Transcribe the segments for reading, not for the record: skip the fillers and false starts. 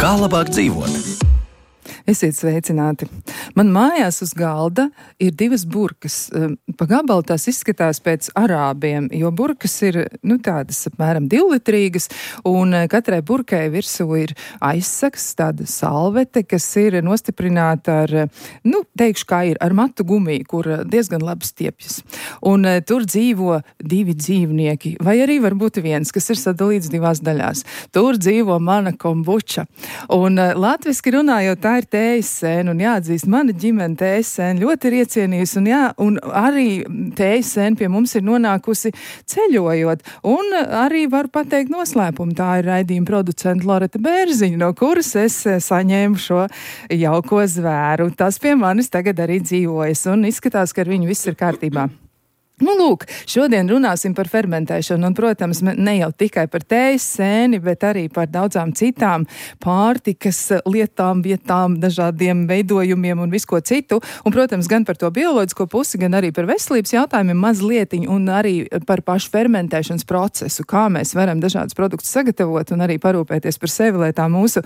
Kā labāk dzīvot? Esiet sveicināti. Man mājās uz galda ir 2 burkas. Pa gabalu tās izskatās pēc arābiem, jo burkas ir, tādas apmēram 2-litrīgas, un katrai burkai virsū ir aizsaks, tāda salvete, kas ir nostiprināta ar, teikšu kā ir, ar matu gumiju, kur diezgan labi stiepjas. Un tur dzīvo 2 dzīvnieki, vai arī varbūt 1, kas ir sadalīts 2 daļās. Tur dzīvo mana kombuča. Un latviski runājot, tā ir tējas sēna, un jāatzīst, mana ģimene tējas sēna ļoti ir iecienījusi, un arī tējas sēna pie mums ir nonākusi ceļojot, un arī varu pateikt noslēpumu. Tā ir raidījuma producenta Loreta Bērziņa, no kuras es saņēmu šo jauko zvēru. Tas pie manis tagad arī dzīvojas, un izskatās, ka ar viņu viss ir kārtībā. Lūk, šodien runāsim par fermentēšanu, un, protams, ne jau tikai par tējas sēni, bet arī par daudzām citām pārtikas lietām, vietām, dažādiem veidojumiem un visko citu. Un, protams, gan par to bioloģisko pusi, gan arī par veselības jautājumiem mazlietiņu, un arī par pašu fermentēšanas procesu, kā mēs varam dažādus produktus sagatavot un arī parūpēties par sevi, lai tā mūsu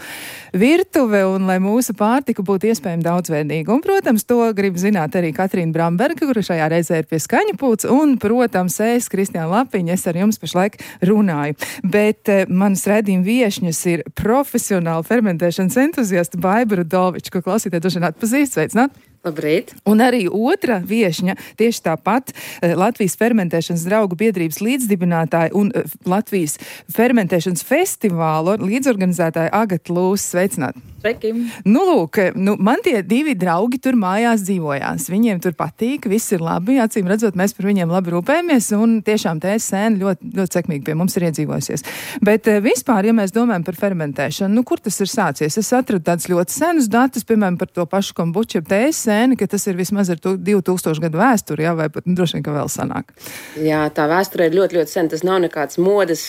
virtuve un lai mūsu pārtika būtu iespējami daudzveidīga. Un, protams, to grib zināt arī Katrīna Bramberga, kura šajā reizē ir pie skaņa pults. Un, protams, es, Kristiāna Lapiņa, es ar jums pašlaik runāju. Bet manas raidījuma viešņas ir profesionāla fermentēšanas entuziasta Baiba Rudoviča, ko klausītāji droši vien atpazīst. Sveicināt! Labrīt. Un arī otra viešņa, tieši tāpat Latvijas fermentēšanas draugu biedrības līdzdibinātāja un Latvijas fermentēšanas festivāla līdzorganizētāja Agata Lūs. Sveicināt! Sveiki! Lūk, man tie 2 draugi tur mājās dzīvojās. Viņiem tur patīk, viss ir labi, acīm redzot, mēs par viņiem labi rūpējamies, un tiešām tējas sēna ļoti, ļoti sekmīgi pie mums ir iedzīvojusies. Bet vispār, ja mēs domājam par fermentēšanu, kur tas ir sācies? Es atradu tādus ļoti senus datus, piemēram, par to pašu kombuču, tējas sēni, ka tas ir vismaz ar 2000 gadu vēsturi, vai pat droši vien, ka vēl sanāk. Jā, tā vēsture ir ļoti, ļoti sen. Tas nav nekāds modes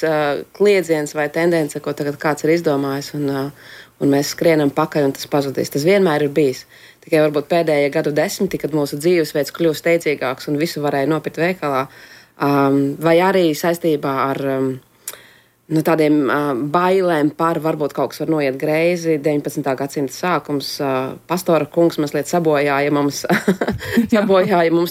kliedziens vai tendence, ko tagad kāds ir izdomājis, un mēs skrienam pakaļ, un tas pazudīs. Tas vienmēr ir bijis. Tikai varbūt pēdējie gadu desmiti, kad mūsu dzīvesveids kļūst steidzīgāks un visu varēja nopirkt veikalā, vai arī saistībā ar tādiem bailēm par varbūt kaut kas var noiet greizi. 19. gadsimta sākums, pastora kungs mazliet sabojāja mums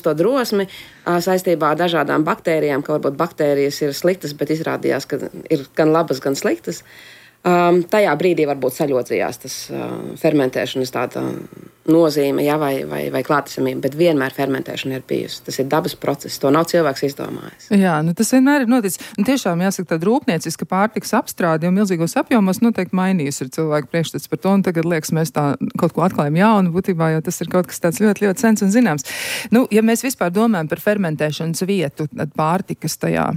to drosmi saistībā ar dažādām baktērijām, ka varbūt baktērijas ir sliktas, bet izrādījās, ka ir gan labas, gan sliktas. Tajā brīdī varbūt saļodzījās tas fermentēšanas tāda nozīme, vai klātesamība, bet vienmēr fermentēšana ir bijusi. Tas ir dabas process, to nav cilvēks izdomājis. Jā, tas vienmēr ir noticis. Un tiešām jāsaka, tāda rūpnieciska pārtikas apstrāde un milzīgos apjomos noteikti mainījusi ir cilvēku priekšstats par to, un tagad liekas, mēs tā kaut ko atklājam jaunu, būtībā, jo tas ir kaut kas tāds ļoti, ļoti sens un zināms. Ja mēs vispār domājam par fermentēšanas vietu, tad pārtikas tajā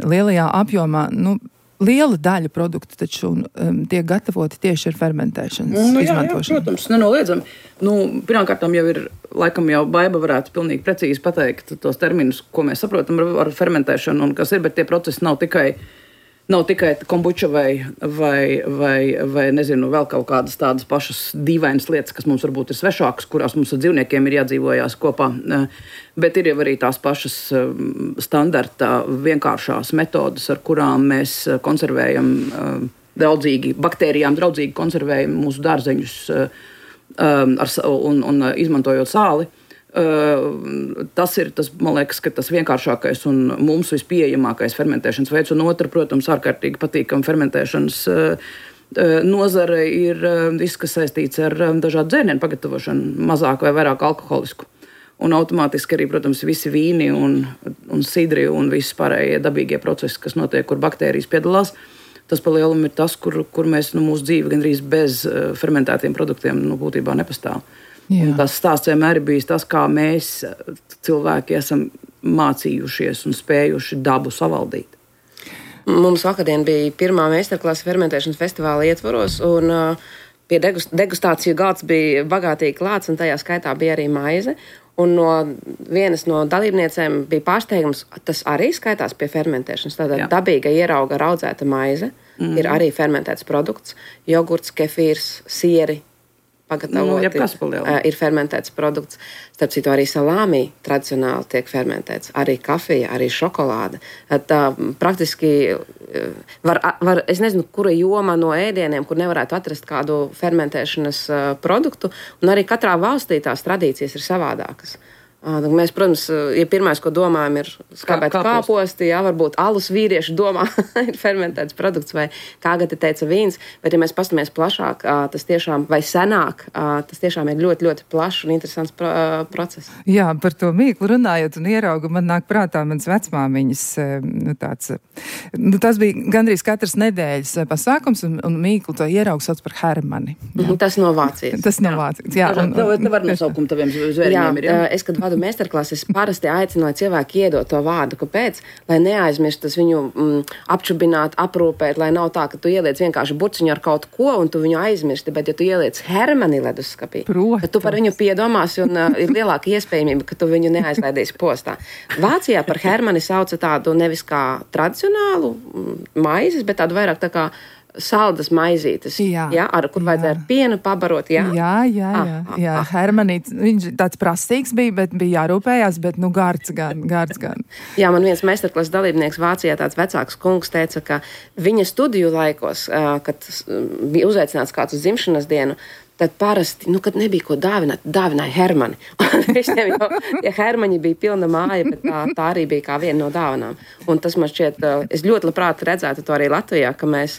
lielajā apjomā, liela daļa produktu taču tiek gatavoti tieši ar fermentēšanas izmantošanu. Jā, protams, nenoliedzami. Pirmkārtām jau ir, laikam jau Baiba varētu pilnīgi precīzi pateikt tos terminus, ko mēs saprotam ar fermentēšanu un kas ir, bet tie procesi nav tikai kombuča vai nezinu, vēl kaut kādas tādas pašas dīvainas lietas, kas mums varbūt ir svešākas, kurās mums ar dzīvniekiem ir jādzīvojās kopā. Bet ir jau arī tās pašas standarta vienkāršās metodas, ar kurām mēs konservējam baktērijām draudzīgi konservējam mūsu dārzeņus un izmantojot sāli. Tas ir, man liekas, ka tas vienkāršākais un mums vispieejamākais fermentēšanas veids, un otra, protams, ārkārtīgi patīkama fermentēšanas nozare ir viss, kas saistīts ar dažādu dzērienu pagatavošanu, mazāk vai vairāk alkoholisku. Un automātiski arī, protams, visi vīni un sidri un visi pārējie dabīgie procesi, kas notiek, kur baktērijas piedalās. Tas pa lielumu ir tas, kur mēs mūsu dzīve gandrīz bez fermentētiem produktiem būtībā nepastāv. Tas stāsts vienmēr ir bijis tas, kā mēs cilvēki esam mācījušies un spējuši dabu savaldīt. Mums vakardien bija pirmā meistarklase fermentēšanas festivāla ietvaros, un pie degustāciju galds bija bagātīgi klāts, un tajā skaitā bija arī maize. Un vienas no dalībniecēm bija pārsteigums, tas arī skaitās pie fermentēšanas. Tātad dabīga ierauga raudzēta maize ir arī fermentēts produkts, jogurts, kefīrs, sieri. Ir fermentēts produkts. Starp citu, arī salāmī tradicionāli tiek fermentēts. Arī kafija, arī šokolāde. Praktiski es nezinu, kura joma no ēdieniem, kur nevarētu atrast kādu fermentēšanas produktu. Un arī katrā valstī tās tradīcijas ir savādākas. Mēs, protams, pirmais, ko domājam, ir skābēt kāposti, varbūt alus vīrieši domā, ir fermentēts produkts, vai kā Agate teica, vīns, bet, ja mēs pastamies plašāk, tas tiešām, vai senāk, tas tiešām ir ļoti, ļoti plašs un interesants process. Jā, par to mīklu runājot un ieraugu, man nāk prātā mans vecmāmiņas, tas bija gandrīz katras nedēļas pasākums, un mīklu to ieraugu sauc par hermani. Tas no Vācijas. Tas no Vācijas, jā. Tā var nosaukumu taviem zvēriņiem ir, jā? Es, kad vadu meistarklases, parasti aicinu, lai cilvēki iedod to vārdu. Kāpēc? Lai neaizmirstas viņu apčubināt, aprūpēt, lai nav tā, ka tu ieliec vienkārši burciņu ar kaut ko un tu viņu aizmirsti, bet ja tu ieliec hermani leduskapī, tad tu par viņu piedomāsi un ir lielāka iespējamība, ka tu viņu neaizlaidīsi postā. Vācijā par hermani sauca tādu nevis kā tradicionālu maizes, bet tādu vairāk tā kā saldas maizītes, kur vajadzēja ar pienu pabarot, Jā, hermanīts, viņš tāds prasīgs bija, bet bija jārūpējās, bet, gards gan. Jā, man viens meistarklases dalībnieks Vācijā, tāds vecāks kungs, teica, ka viņa studiju laikos, kad bija uzaicināts kāds uz dzimšanas dienu, tad parasti, kad nebija ko dāvināt, dāvināja hermani. Visiem jau tie hermaņi bija pilna māja, bet tā arī bija kā viena no dāvanām. Un tas man šķiet, es ļoti labprāt redzētu to arī Latvijā, ka mēs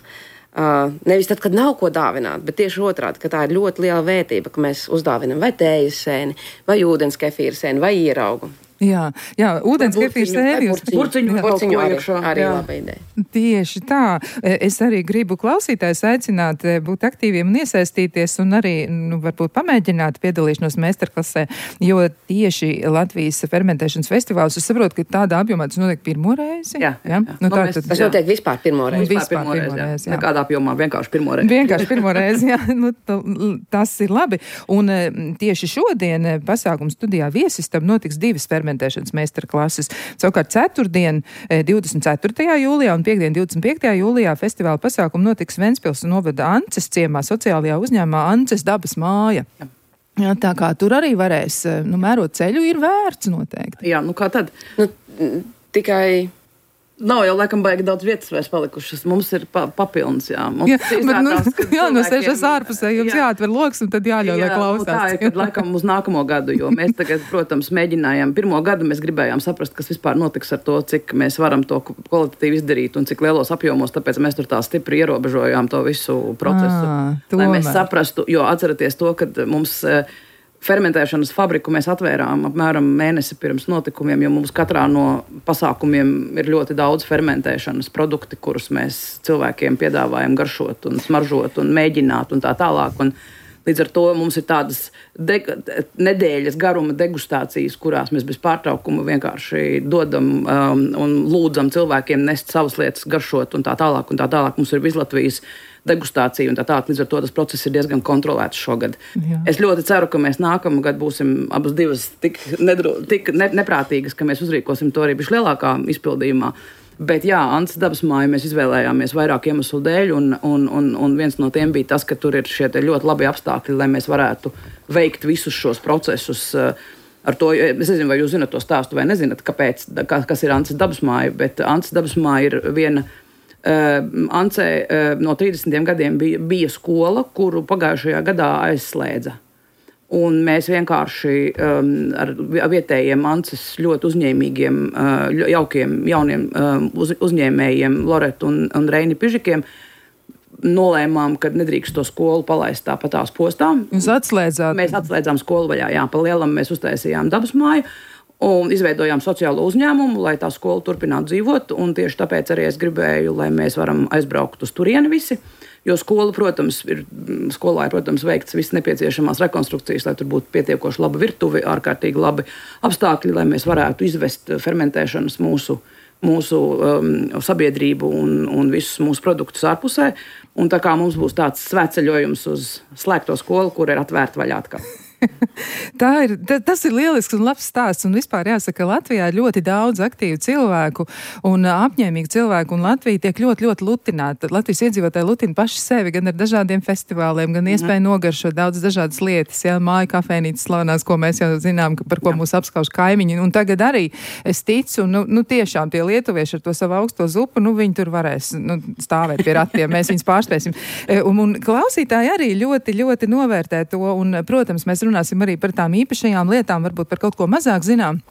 nevis tad, kad nav ko dāvināt, bet tieši otrādi, ka tā ir ļoti liela vērtība, ka mēs uzdāvinam vai tējas sēni, vai ūdens kefīra sēni, vai ieraugu. Jā, ūdens kefīra sēni. Burciņu arī laba ideja. Tieši tā. Es arī gribu klausītājus aicināt būt aktīviem un iesaistīties un arī, varbūt pamēģināt piedalīšanos meistarklasē, jo tieši Latvijas fermentēšanas festivāls, es saprotu, ka tādā apjomā tas notiek pirmo reizi. Jā. Tas notiek vispār pirmo reizi. Jā. Nekādā apjomā, vienkārši pirmo reizi. Vienkārši pirmo reizi, jā. Tas ir labi. Un tieši šodien pasākuma studijā Viesistam notiks 2 fermentēšanas meistarklases. Savukārt ceturtdien 24. jūlijā un piekdien 25. jūlijā festivāla pasākumu notiks Ventspils novada Ances ciemā sociālajā uzņēmumā Ances dabas māja. Jā, tā kā tur arī varēs, mērot ceļu ir vērts noteikti. Jā, kā tad? Tikai... Nav jau laikam baigi daudz vietas vairs palikušas. Mums ir papilns, jā. No sēžas ārpusē jums jāatver loks un tad jāļauj, lai klausās. Tā ir, kad laikam uz nākamo gadu, jo mēs tagad, protams, mēģinājām. Pirmo gadu mēs gribējām saprast, kas vispār notiks ar to, cik mēs varam to kvalitatīvi izdarīt un cik lielos apjomos, tāpēc mēs tur tā stipri ierobežojām to visu procesu. Lai mēs saprastu, jo atceraties to, kad mums... Fermentēšanas fabriku mēs atvērām apmēram mēnesi pirms notikumiem, jo mums katrā no pasākumiem ir ļoti daudz fermentēšanas produkti, kurus mēs cilvēkiem piedāvājam garšot un smaržot un mēģināt un tā tālāk. Un līdz ar to mums ir tādas nedēļas garuma degustācijas, kurās mēs bez pārtraukuma vienkārši dodam un lūdzam cilvēkiem nest savas lietas, garšot un tā tālāk. Un tā tālāk mums ir Vislatvijas degustācija un tā tālāk. Līdz ar to tas process ir diezgan kontrolēts šogad. Jā. Es ļoti ceru, ka mēs nākamgad būsim abas divas tik neprātīgas, ka mēs uzrīkosim to arī bišķi lielākā izpildījumā. Bet jā, Ances dabas māju mēs izvēlējāmies vairāk iemeslu dēļ, un viens no tiem bija tas, ka tur ir šie ļoti labi apstākļi, lai mēs varētu veikt visus šos procesus. Ar to, es nezinu, vai jūs zinat to stāstu vai nezināt, kas ir Ances dabas māja, bet Ances dabas māja ir viena. Ancē no 30 gadiem bija skola, kuru pagājušajā gadā aizslēdza. Un mēs vienkārši ar vietējiem Ances ļoti uzņēmīgiem, jaukiem, jauniem uzņēmējiem Loretu un Reini Pižikiem nolēmām, ka nedrīkst to skolu palaist tāpatās postā. Jūs atslēdzāt? Mēs atslēdzām skolu vaļā, jā, pa lielam mēs uztaisījām dabas māju. Un izveidojām sociālo uzņēmumu, lai tā skola turpinātu dzīvot, un tieši tāpēc arī es gribēju, lai mēs varam aizbraukt uz turieni visi, jo skolā, protams, ir veikts viss nepieciešamās rekonstrukcijas, lai tur būtu pietiekoši laba virtuve, ārkārtīgi labi apstākļi, lai mēs varētu izvest fermentēšanas mūsu sabiedrību un visus mūsu produktus ārpusē, un tā kā mums būs tāds svētceļojums uz slēgto skolu, kur ir atvērta vaļā atkal. Tas ir lielisks un labs stāsts, un vispār jāsaka, Latvijā ir ļoti daudz aktīvu cilvēku un apņēmīgu cilvēku, un Latvija tiek ļoti, ļoti lutināta. Latvijas iedzīvotāji lutina paši sevi gan ar dažādiem festivāliem, gan iespēju nogaršot daudz dažādas lietas, māju kafejnīcas slavenās, ko mēs jau zinām, par ko mūs apskauž kaimiņi, un tagad arī es ticu, tiešām tie lietuvieši ar to savu augsto zupu, viņi tur varēs stāvēt pie ratiem, mēs viņus pārspēsim. Un klausītāji arī ļoti, ļoti novērtē to, un, protams, mēs runāsim arī par tām īpašajām lietām, varbūt par kaut ko mazāk zinām.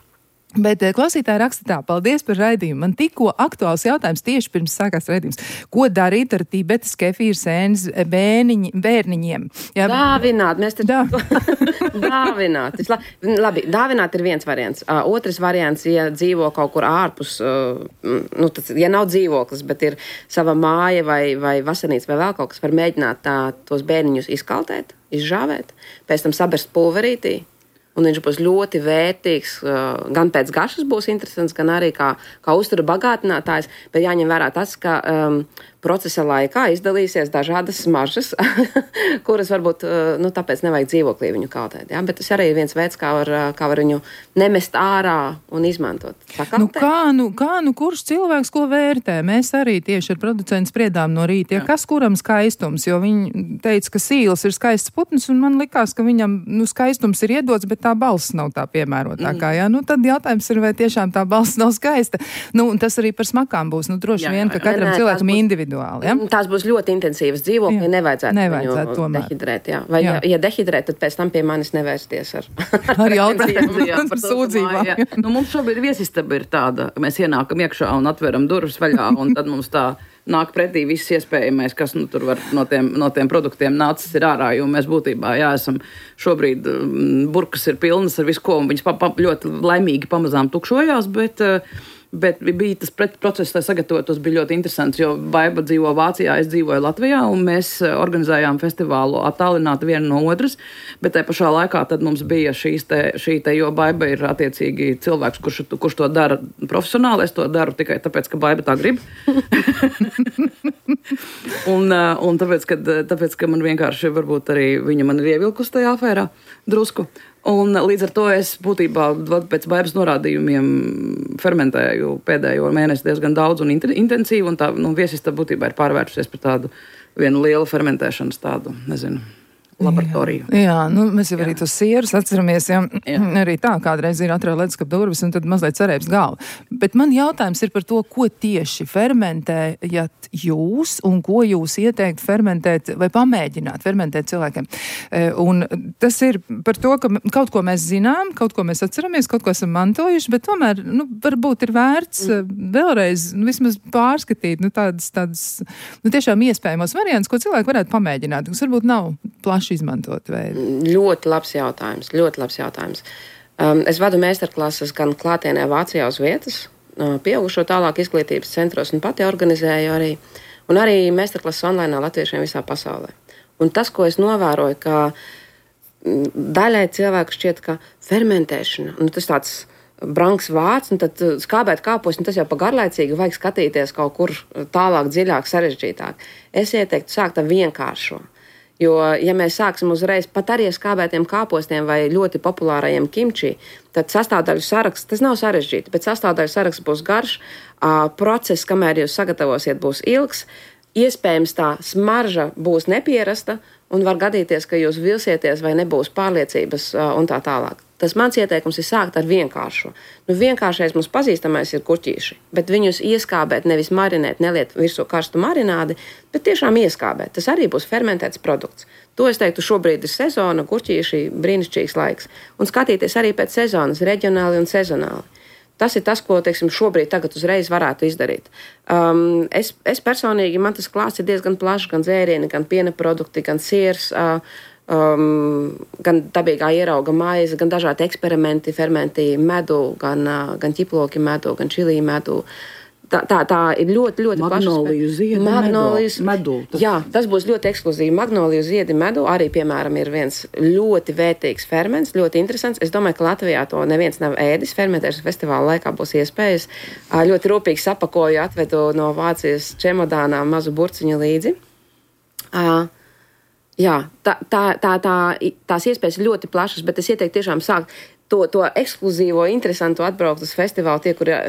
Bet klausītāji raksta tā, paldies par raidījumu. Man tikko aktuāls jautājums tieši pirms sākās raidījums. Ko darīt ar Tibetas kefīra sēnes bērniņiem? Jā, dāvināt, mēs te dāvināt. Labi, dāvināt ir viens variants. Otrs variants, ja dzīvo kaut kur ārpus, ja nav dzīvoklis, bet ir sava māja vai vasarnīca vai vēl kaut kas, var mēģināt tos bērniņus izkaltēt, izžāvēt, pēc tam saberst pulverītī. Un viņš būs ļoti vērtīgs, gan pēc garšas būs interesants, gan arī kā uztura bagātinātājs, bet jāņem vērā tas, ka procesa laikā izdalīsies dažādas smaržas, kuras varbūt, tāpēc nevajag dzīvoklī viņu kaltēt, ja? Bet tas arī ir viens veids, kā var viņu nemest ārā un izmantot. Kurš cilvēks ko vērtē? Mēs arī tieši ar producentu spriedām no rīta, kas kuram skaistums, jo viņi teica, ka sīls ir skaists putns, un man likās, ka viņam, skaistums ir iedots, bet tā balss nav tā piemērotākā, jā? Tad jautājums ir, vai tiešām tā balss nav skaista. Un tas arī par smakām būs, droši vien, ka katram cilvēkam individuāli. Ja? Tās būs ļoti intensīvas dzīvokļi, nevajadzētu viņu dehidrēt. Jā. Vai ja dehidrēt, tad pēc tam pie manis nevērsties ar jautājumiem par sūdzībām. Mums šobrīd viesistaba ir tāda, ka mēs ienākam iekšā un atveram durvis vaļā, un tad mums tā nāk pretī viss iespējamais, kas tur var no tiem produktiem nācis ir ārā, jo mēs būtībā, esam šobrīd, burkas ir pilnas ar visu ko, un viņas ļoti laimīgi pamazām tukšojās, bet bija tas process, lai sagatavotos, bija ļoti interesants, jo Baiba dzīvo Vācijā, es dzīvoju Latvijā, un mēs organizējām festivālu attālināti viena no otras, bet tajā pašā laikā tad mums bija šī te, jo Baiba ir attiecīgi cilvēks, kurš to dara profesionāli, es to daru tikai tāpēc, ka Baiba tā grib. un tāpēc, ka man vienkārši varbūt arī viņa man ir ievilkusi tajā afērā drusku. Un līdz ar to es būtībā pēc Baibas norādījumiem fermentēju pēdējo mēnesi diezgan daudz un intensīvi, un tā viesistaba būtībā ir pārvērtusies par tādu vienu lielu fermentēšanas tādu, laboratoriju. Jā, mēs jau arī tos sierus atceramies, arī tā kādreiz ir atrauj leduskapa durvis un tad mazliet cerēbs galva. Bet man jautājums ir par to, ko tieši fermentējat jūs un ko jūs ieteikt fermentēt vai pamēģināt fermentēt cilvēkiem. Un tas ir par to, ka kaut ko mēs zinām, kaut ko mēs atceramies, kaut ko esam mantojuši, bet tomēr, varbūt ir vērts vēlreiz, vismaz pārskatīt, tādas tiešām iespējamos variants, ko cilvēki varētu pamēģināt, kas varbūt nav plaši izmantot veidu. Ļoti labs jautājums. Es vadu meistarklases gan klātienē Vācijā uz vietas, pieaugušo tālāk izglītības centros un pati organizēju arī, un arī meistarklases online latviešiem visā pasaulē. Un tas, ko es novēroju, ka daļai cilvēku šķiet, ka fermentēšana, tas tāds brangs vārds, un tad skābēt kāpos, un tas jau pa garlaicīgi vajag skatīties kaut kur tālāk, dziļāk, sarežģītāk. Es ieteiktu sākt ar vienkāršo. Jo, ja mēs sāksim uzreiz pat arī ar skābētiem kāpostiem vai ļoti populārajiem kimči, tad sastāvdaļu saraksts, tas nav sarežģīti, bet sastāvdaļu saraksts būs garš, process, kamēr jūs sagatavosiet, būs ilgs, iespējams tā smarža būs nepierasta un var gadīties, ka jūs vilsieties vai nebūs pārliecības un tā tālāk. Tas mans ieteikums ir sākt ar vienkāršo. Vienkāršais mums pazīstamais ir kurķīši, bet viņus ieskābēt, nevis marinēt, neliet virsū karstu marinādi, bet tiešām ieskābēt. Tas arī būs fermentēts produkts. To es teiktu, šobrīd ir sezona, kurķīši, brīnišķīgs laiks. Un skatīties arī pēc sezonas, reģionāli un sezonāli. Tas ir tas, ko, šobrīd tagad uzreiz varētu izdarīt. Es personīgi, man tas klāsts ir diezgan plašs, gan dzērieni, gan piena produkti, gan siers, gan dabīgā ierauga maize, gan dažādi eksperimenti, fermenti medu, gan ķiploki medu, gan čilī medu. Tā ir ļoti, ļoti plaša. Magnoliju ziedi medu. Jā, tas būs ļoti ekskluzīvi. Magnoliju ziedi medu arī, piemēram, ir viens ļoti vērtīgs ferments, ļoti interesants. Es domāju, ka Latvijā to neviens nav ēdis. Fermentēšanas festivāla laikā būs iespējas. Ļoti rūpīgi sapakoju, atvedu no Vācijas čemodānā mazu burciņu līdzi. Jā, tās iespējas ir ļoti plašas, bet es ieteiktu tiešām sākt to ekskluzīvo, interesantu atbraukt uz festivālu,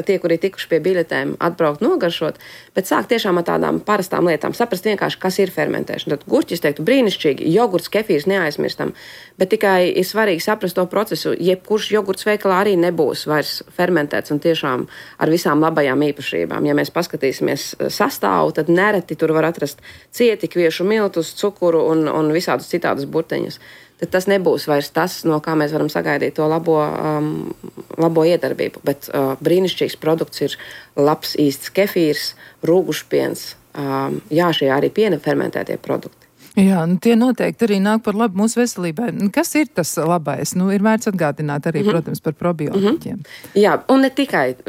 tie, kuri tikuši pie biļetēm, atbraukt nogaršot, bet sākt tiešām ar tādām parastām lietām, saprast vienkārši, kas ir fermentēšana. Tad gurķis teiktu brīnišķīgi, jogurts, kefīrs neaizmirstam, bet tikai ir svarīgi saprast to procesu. Jebkurš jogurts veikalā arī nebūs vairs fermentēts un tiešām ar visām labajām īpašībām. Ja mēs paskatīsimies sastāvu, tad nereti tur var atrast cieti, kviešu miltus, cukuru un visādus citādus burteņus. Tad tas nebūs vairs tas, no kā mēs varam sagaidīt to labo iedarbību. Bet brīnišķīgs produkts ir labs īsts kefīrs, rūgušpiens, šie arī piena fermentētie produkti. Jā, tie noteikti arī nāk par labu mūsu veselībai. Kas ir tas labais? Ir vērts atgādināt arī, protams, par probiotiķiem. Jā, un ne tikai.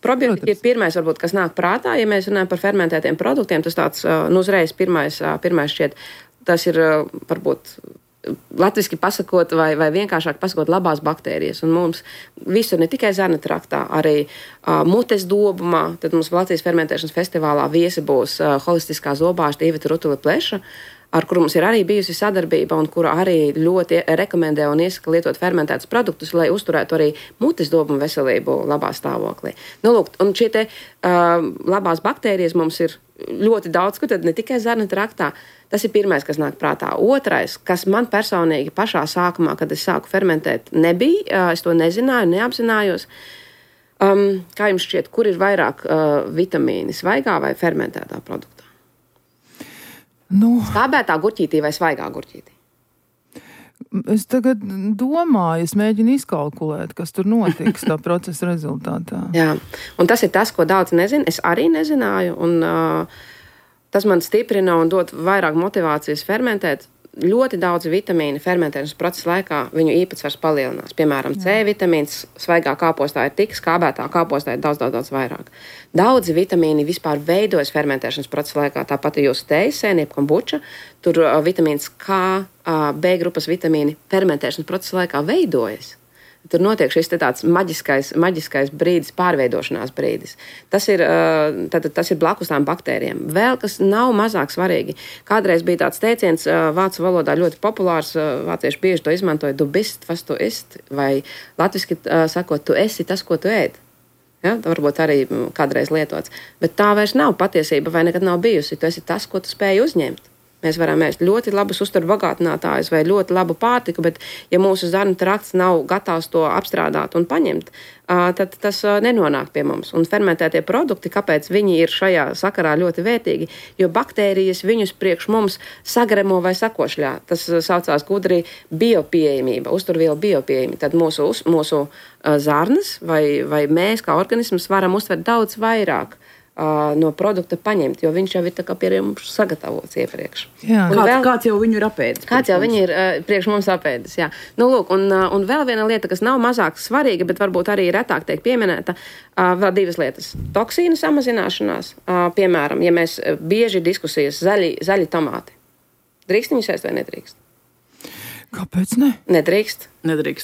Probiotika ir pirmais, varbūt, kas nāk prātā, ja mēs runājam par fermentētiem produktiem. Tas tāds, uzreiz pirmais šķiet, tas ir varbūt latviski pasakot vai vienkāršāk pasakot labās baktērijas. Un mums visur, ne tikai zarnu traktā, arī mutes dobumā, tad mums Latvijas fermentēšanas festivālā viesi būs holistiskā zobārste Iveta Rutule-Pleša, ar kuru mums ir arī bijusi sadarbība un kura arī ļoti rekomendē un iesaka lietot fermentētus produktus, lai uzturētu arī mutes dobumu veselību labā stāvoklī. Lūk, un šie te labās baktērijas mums ir ļoti daudz, kur tad ne tikai zarnu traktā. Tas ir pirmais, kas nāk prātā. Otrais, kas man personīgi pašā sākumā, kad es sāku fermentēt, nebija, es to nezināju, neapzinājos. Kā jums šķiet, kur ir vairāk vitamīni, svaigā vai fermentētā produktā? Skābētā gurķītī vai svaigā gurķītī? Es tagad domāju, es mēģinu izkalkulēt, kas tur notiks tā procesa rezultātā. Jā, un tas ir tas, ko daudz nezina. Es arī nezināju, un tas man stiprina un dod vairāk motivācijas fermentēt. Ļoti daudz vitamīnu fermentēšanas procesa laikā viņu īpatsvars palielinās. Piemēram, C vitamīns svaigā kāpostā ir tik, skābētā kāpostā ir daudz vairāk. Daudzi vitamīni vispār veidojas fermentēšanas procesa laikā. Tāpat jūsu teisēni, jeb kombuča, tur vitamīns K, B grupas vitamīni fermentēšanas procesa laikā veidojas. Tur notiek šis tāds maģiskais brīdis, pārveidošanās brīdis. Tas ir blakus tām baktērijām. Vēl kas nav mazāk svarīgi. Kādreiz bija tāds teiciens vācu valodā ļoti populārs, vācieši bieži to izmantoja, du bist, was tu ist, vai latviski sakot, tu esi tas, ko tu ēd. Ja, varbūt arī kādreiz lietots. Bet tā vairs nav patiesība vai nekad nav bijusi. Tu esi tas, ko tu spēji uzņemt. Mēs varam ēst ļoti labus uzturu bagātinātājus vai ļoti labu pārtiku, bet ja mūsu zarnu trakts nav gatavs to apstrādāt un paņemt, tad tas nenonāk pie mums. Un fermentētie produkti, kāpēc viņi ir šajā sakarā ļoti vērtīgi, jo baktērijas viņus priekš mums sagremo vai sakošļā. Tas saucās gudri biopieejamība, uzturvielu biopieejamība. Tad mūsu zarnas vai mēs kā organisms varam uztvert daudz vairāk no produkta paņemt, jo viņš jau ir tā kā pie mums sagatavots iepriekš. Kāds jau viņu ir apēdis? Kāds jau viņu ir priekš mums apēdis, jā. Lūk, un vēl viena lieta, kas nav mazāk svarīga, bet varbūt arī retāk tiek pieminēta, vēl divas lietas. Toksīnu samazināšanās, piemēram, ja mēs bieži diskusijas zaļi tomāti. Drīkst viņus ēst vai nedrīkst? Kāpēc ne? Nedrīkst,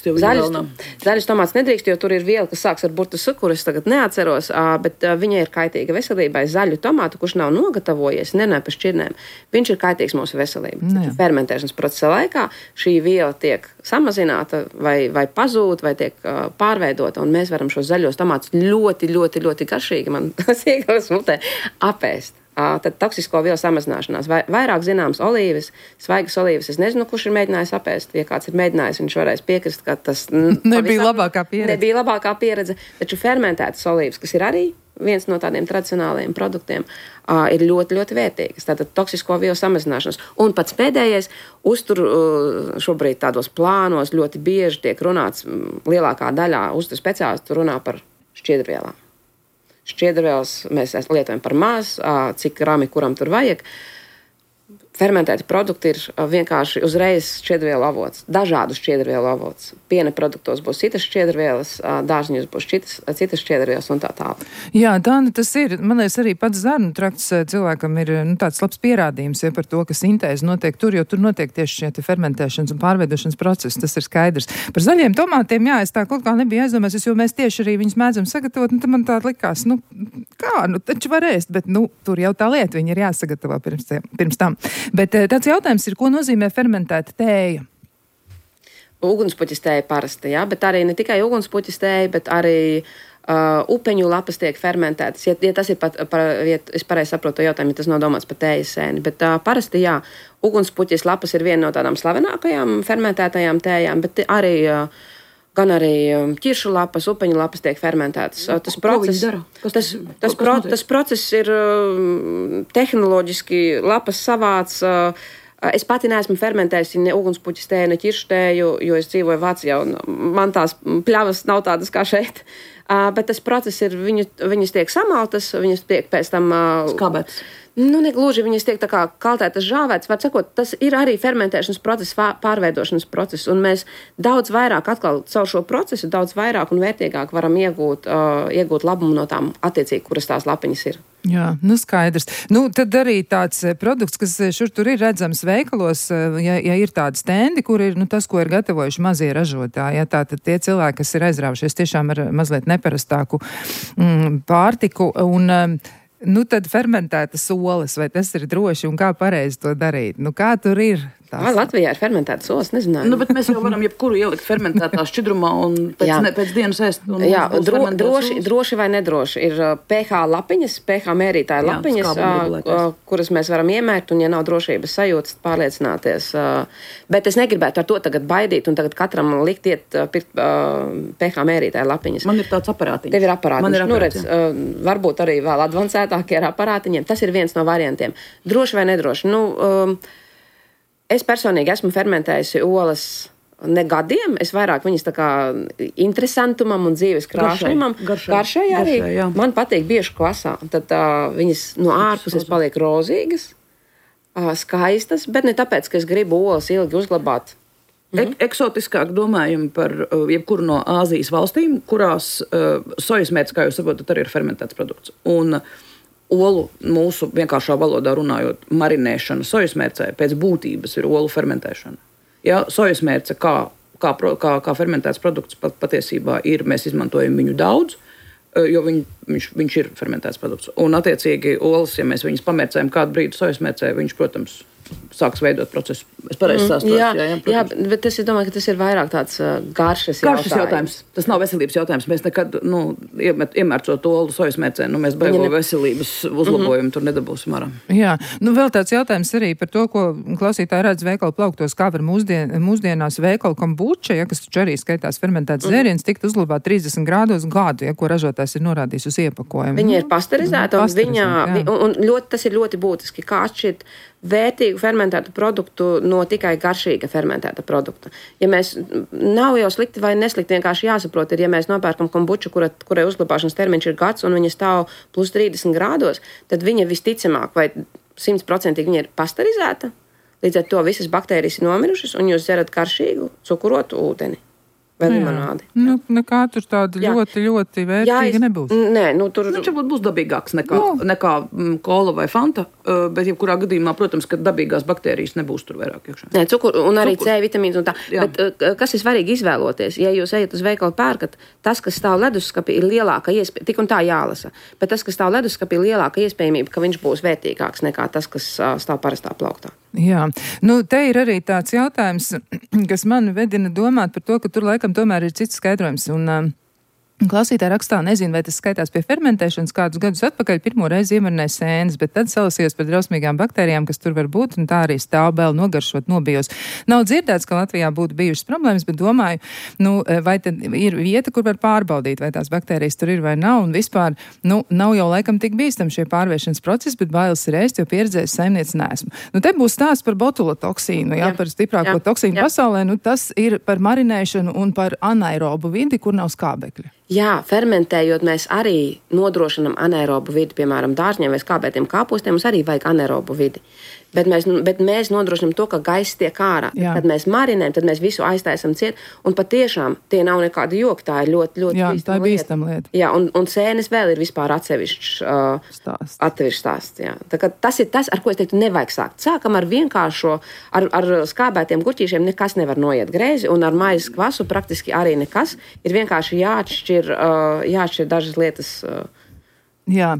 jo zaļus tomātus nedrīkst, jo tur ir viela, kas sāks ar burtu cukuru, es tagad neatceros, bet viņa ir kaitīga veselībai. Zaļu tomātu, kurš nav nogatavojies, nenāk pa šķirnēm, viņš ir kaitīgs mūsu veselībai. Fermentēšanas procesa laikā šī viela tiek samazināta vai pazūd, vai tiek pārveidota, un mēs varam šos zaļos tomātus ļoti garšīgi, man sīkās mutē, apēst. Tad toksisko vielu samazināšanās. Vairāk zināms olīves, svaigas olīves. Es nezinu, kurš ir mēģinājis apēst. Ja kāds ir mēģinājis, viņš varēs piekrist, ka tas nebija labākā pieredze. Taču fermentētas olīves, kas ir arī viens no tādiem tradicionāliem produktiem, ir ļoti vērtīgas. Tātad toksisko vielu samazināšanas. Un pats pēdējais, uztur šobrīd tādos plānos ļoti bieži tiek runāts, lielākā daļā uztur speciālistu runā par šķiedrvielām. Šķiedrvielas mēs lietojam par maz, cik grami kuram tur vajag. Fermentēti produkti ir vienkārši uzreiz šķiedrvielu avots, dažādu šķiedrvielu avots. Piena produktos būs citas šķiedrvielas, dārziņos būs citas šķiedrvielas un tā tālāk. Jā, Dāna, tas ir, man liekas, arī pats zarnu trakts cilvēkam ir tāds labs pierādījums par to, ka sintēze notiek tur, jo tur notiek tieši šie fermentēšanas un pārveidošanas procesi, tas ir skaidrs. Par zaļiem tomātiem, jā, es tā kaut kā nebija aizdomājies, jo mēs tieši arī viņus mēdzam sagatavot, tad man tā likās, taču var ēst, bet tur jau tā lieta, viņi ir jāsagatavo pirms tam. Bet tāds jautājums ir, ko nozīmē fermentēta tēja? Ugunspuķis tēja parasti, jā, bet arī ne tikai ugunspuķis tēja, bet arī upeņu lapas tiek fermentētas. Ja tas ir ja es pareizi saprotu jautājumu, ja tas nav domāts par tējas sēni, bet parasti, jā, ugunspuķis lapas ir viena no tādām slavenākajām fermentētajām tējām, bet arī gan arī ķiršu lapas, upeņu lapas tiek fermentētas. Tas process ir tehnoloģiski lapas savāds. Es pati neesmu fermentējusi ne ugunspuķis tēju, ne ķiršu tēju, jo es dzīvoju Vācijā un man tās pļavas nav tādas kā šeit. Bet tas process ir, viņas tiek samaltas, viņas tiek pēc tam skābētas. Negluži viņas tiek tā kā kaltētas, žāvētas, var sakot, tas ir arī fermentēšanas process, pārveidošanas process, un mēs daudz vairāk atkal caur šo procesu, daudz vairāk un vērtīgāk varam iegūt labumu no tām attiecīgi, kuras tās lapiņas ir. Jā, skaidrs. Tad arī tāds produkts, kas šur tur ir redzams veikalos, ja ir tādi stendi, kur ir tas, ko ir gatavojuši mazie ražotāji, tātad tie cilvēki, kas ir aizrāvušies tiešām ar mazliet neparastāku pārtiku, un tad fermentētas olas, vai tas ir droši un kā pareizi to darīt? Kā tur ir? Vai Latvijā ir fermentētas olas? Nezināju. Bet mēs jau varam jebkuru ielikt fermentētā šķidrumā un pēc dienas ēst. Jā, droši vai nedroši. Ir pH lapiņas, pH mērītāja lapiņas, kuras mēs varam iemērt, un ja nav drošības sajūtas, pārliecināties. Bet es negribētu ar to tagad baidīt un tagad katram likt pirkt pH mērītāja lapiņas. Man ir tāds aparātiņš. Tev ir aparātiņš. Varbūt arī vēl advancētākie ar aparātiņiem. Tas ir viens no variantiem. Droši vai nedroši. Es personīgi esmu fermentējusi olas ne gadiem, es vairāk viņas tā kā interesantumam un dzīves krāšņumam. Garšai arī. Man patīk bieži klasā. Tad viņas no ārpuses paliek rozīgas, skaistas, bet ne tāpēc, ka es gribu olas ilgi uzglabāt. Eksotiskāk domājam par jebkuru no Āzijas valstīm, kurās sojas mērts, kā jūs saprotat, arī ir fermentēts produkts. Un olu mūsu vienkāršā valodā runājot, marinēšana sojas mērcē pēc būtības ir olu fermentēšana. Ja sojas mērce kā fermentēts produkts patiesībā ir, mēs izmantojam viņu daudz, jo viņš ir fermentēts produkts. Un attiecīgi olas, ja mēs viņus pamērcējam kādu brīdi sojas mērcē, viņš, protams, sāks veidot procesu. Es pareizi stāstos. Jā, bet es domāju, ka tas ir vairāk tāds garšas jautājums. Tas nav veselības jautājums. Mēs nekad, iemērcot olu sojas mērcē, mēs beigo veselības uzlabojumu tur nedabūsim ārā. Jā, vēl tāds jautājums arī par to, ko klausītāji redz veikalu plauktos, kā var mūsdienās veikalu kombuča, kas taču arī skaitās fermentēts dzēriens, tikt uzglabāt 30 grādos gadu, ko ražotājs ir norādījis uz iepakojumu. Viņa ir pasterizēta, un tas ir ļoti būtiski, kā atšķirt vērtīgu fermentētu produktu no tikai garšīga fermentēta produkta. Ja mēs nav jau slikti vai neslikti, vienkārši jāsaprot, ja mēs nopērkam kombuču, kurai uzglabāšanas termiņš ir gads un viņa stāv plus 30 grādos, tad viņa visticamāk vai 100% viņa ir pasterizēta, līdz ar to visas baktērijas ir nomirušas un jūs dzerat garšīgu cukurotu ūdeni. Vai limonādi. Nekā tur tāda ļoti, ļoti vērtīga nebūs. Nē, tur... Viņš varbūt būs dabīgāks nekā kola vai fanta, bet jebkurā gadījumā, protams, ka dabīgās baktērijas nebūs tur vairāk iekšā. Nē, un arī C vitamīns un tā. Jā. Bet kas ir svarīgi izvēloties? Ja jūs ejat uz veikalu pērkat, tas, kas stāv leduskapī, ir lielāka iespēja, tik un tā jālasa, bet tas, kas stāv leduskapī, ir lielāka iespējamība, ka viņš būs vērtīgāks nekā tas, kas stāv parastā plauktā. Jā, te ir arī tāds jautājums, kas man vedina domāt par to, ka tur laikam tomēr ir cits skaidrojums. Un klausītāji rakstā, nezinu, vai tas skaitās pie fermentēšanas kādus gadus atpakaļ, pirmo reizi iemarināja sēnes, bet tad salasījos par drausmīgām baktērijām, kas tur var būt, un tā arī stāv vēl nogaršot nobijos. Nav dzirdēts, ka Latvijā būtu bijušas problēmas, bet domāju, vai tad ir vieta, kur var pārbaudīt, vai tās baktērijas tur ir vai nav, un vispār, nav jau laikam tik bīstam šie pārvēršanas procesi, bet bailes ir ēst, jo pieredzējis saimniece neesmu. Te būs stāsts par botulotoksīnu, par stiprāko toksīnu pasaulē, tas ir par marinēšanu un par anaerobu vidi, kur nav skābekļa. Jā, fermentējot, mēs arī nodrošinam anaerobu vidi, piemēram, dārzņiem vai skābētiem kāpostiem, mums arī vajag anaerobu vidi. Bet mēs nodrošinam to, ka gaiss tiek ārā. Kad mēs marinējam, tad mēs visu aiztaisam ciet, un patiešām tie nav nekādi joki, tā ir ļoti, ļoti bīstama lieta. Jā, un sēnes vēl ir vispār atsevišķs stāsts. Jā. Tā kā tas ir tas, ar ko es teiktu, nevajag sākt. Sākam ar vienkāršo, ar skābētiem gurķīšiem nekas nevar noiet greizi, un ar maizes kvasu praktiski arī nekas. Ir vienkārši jāatšķir dažas lietas. Jā,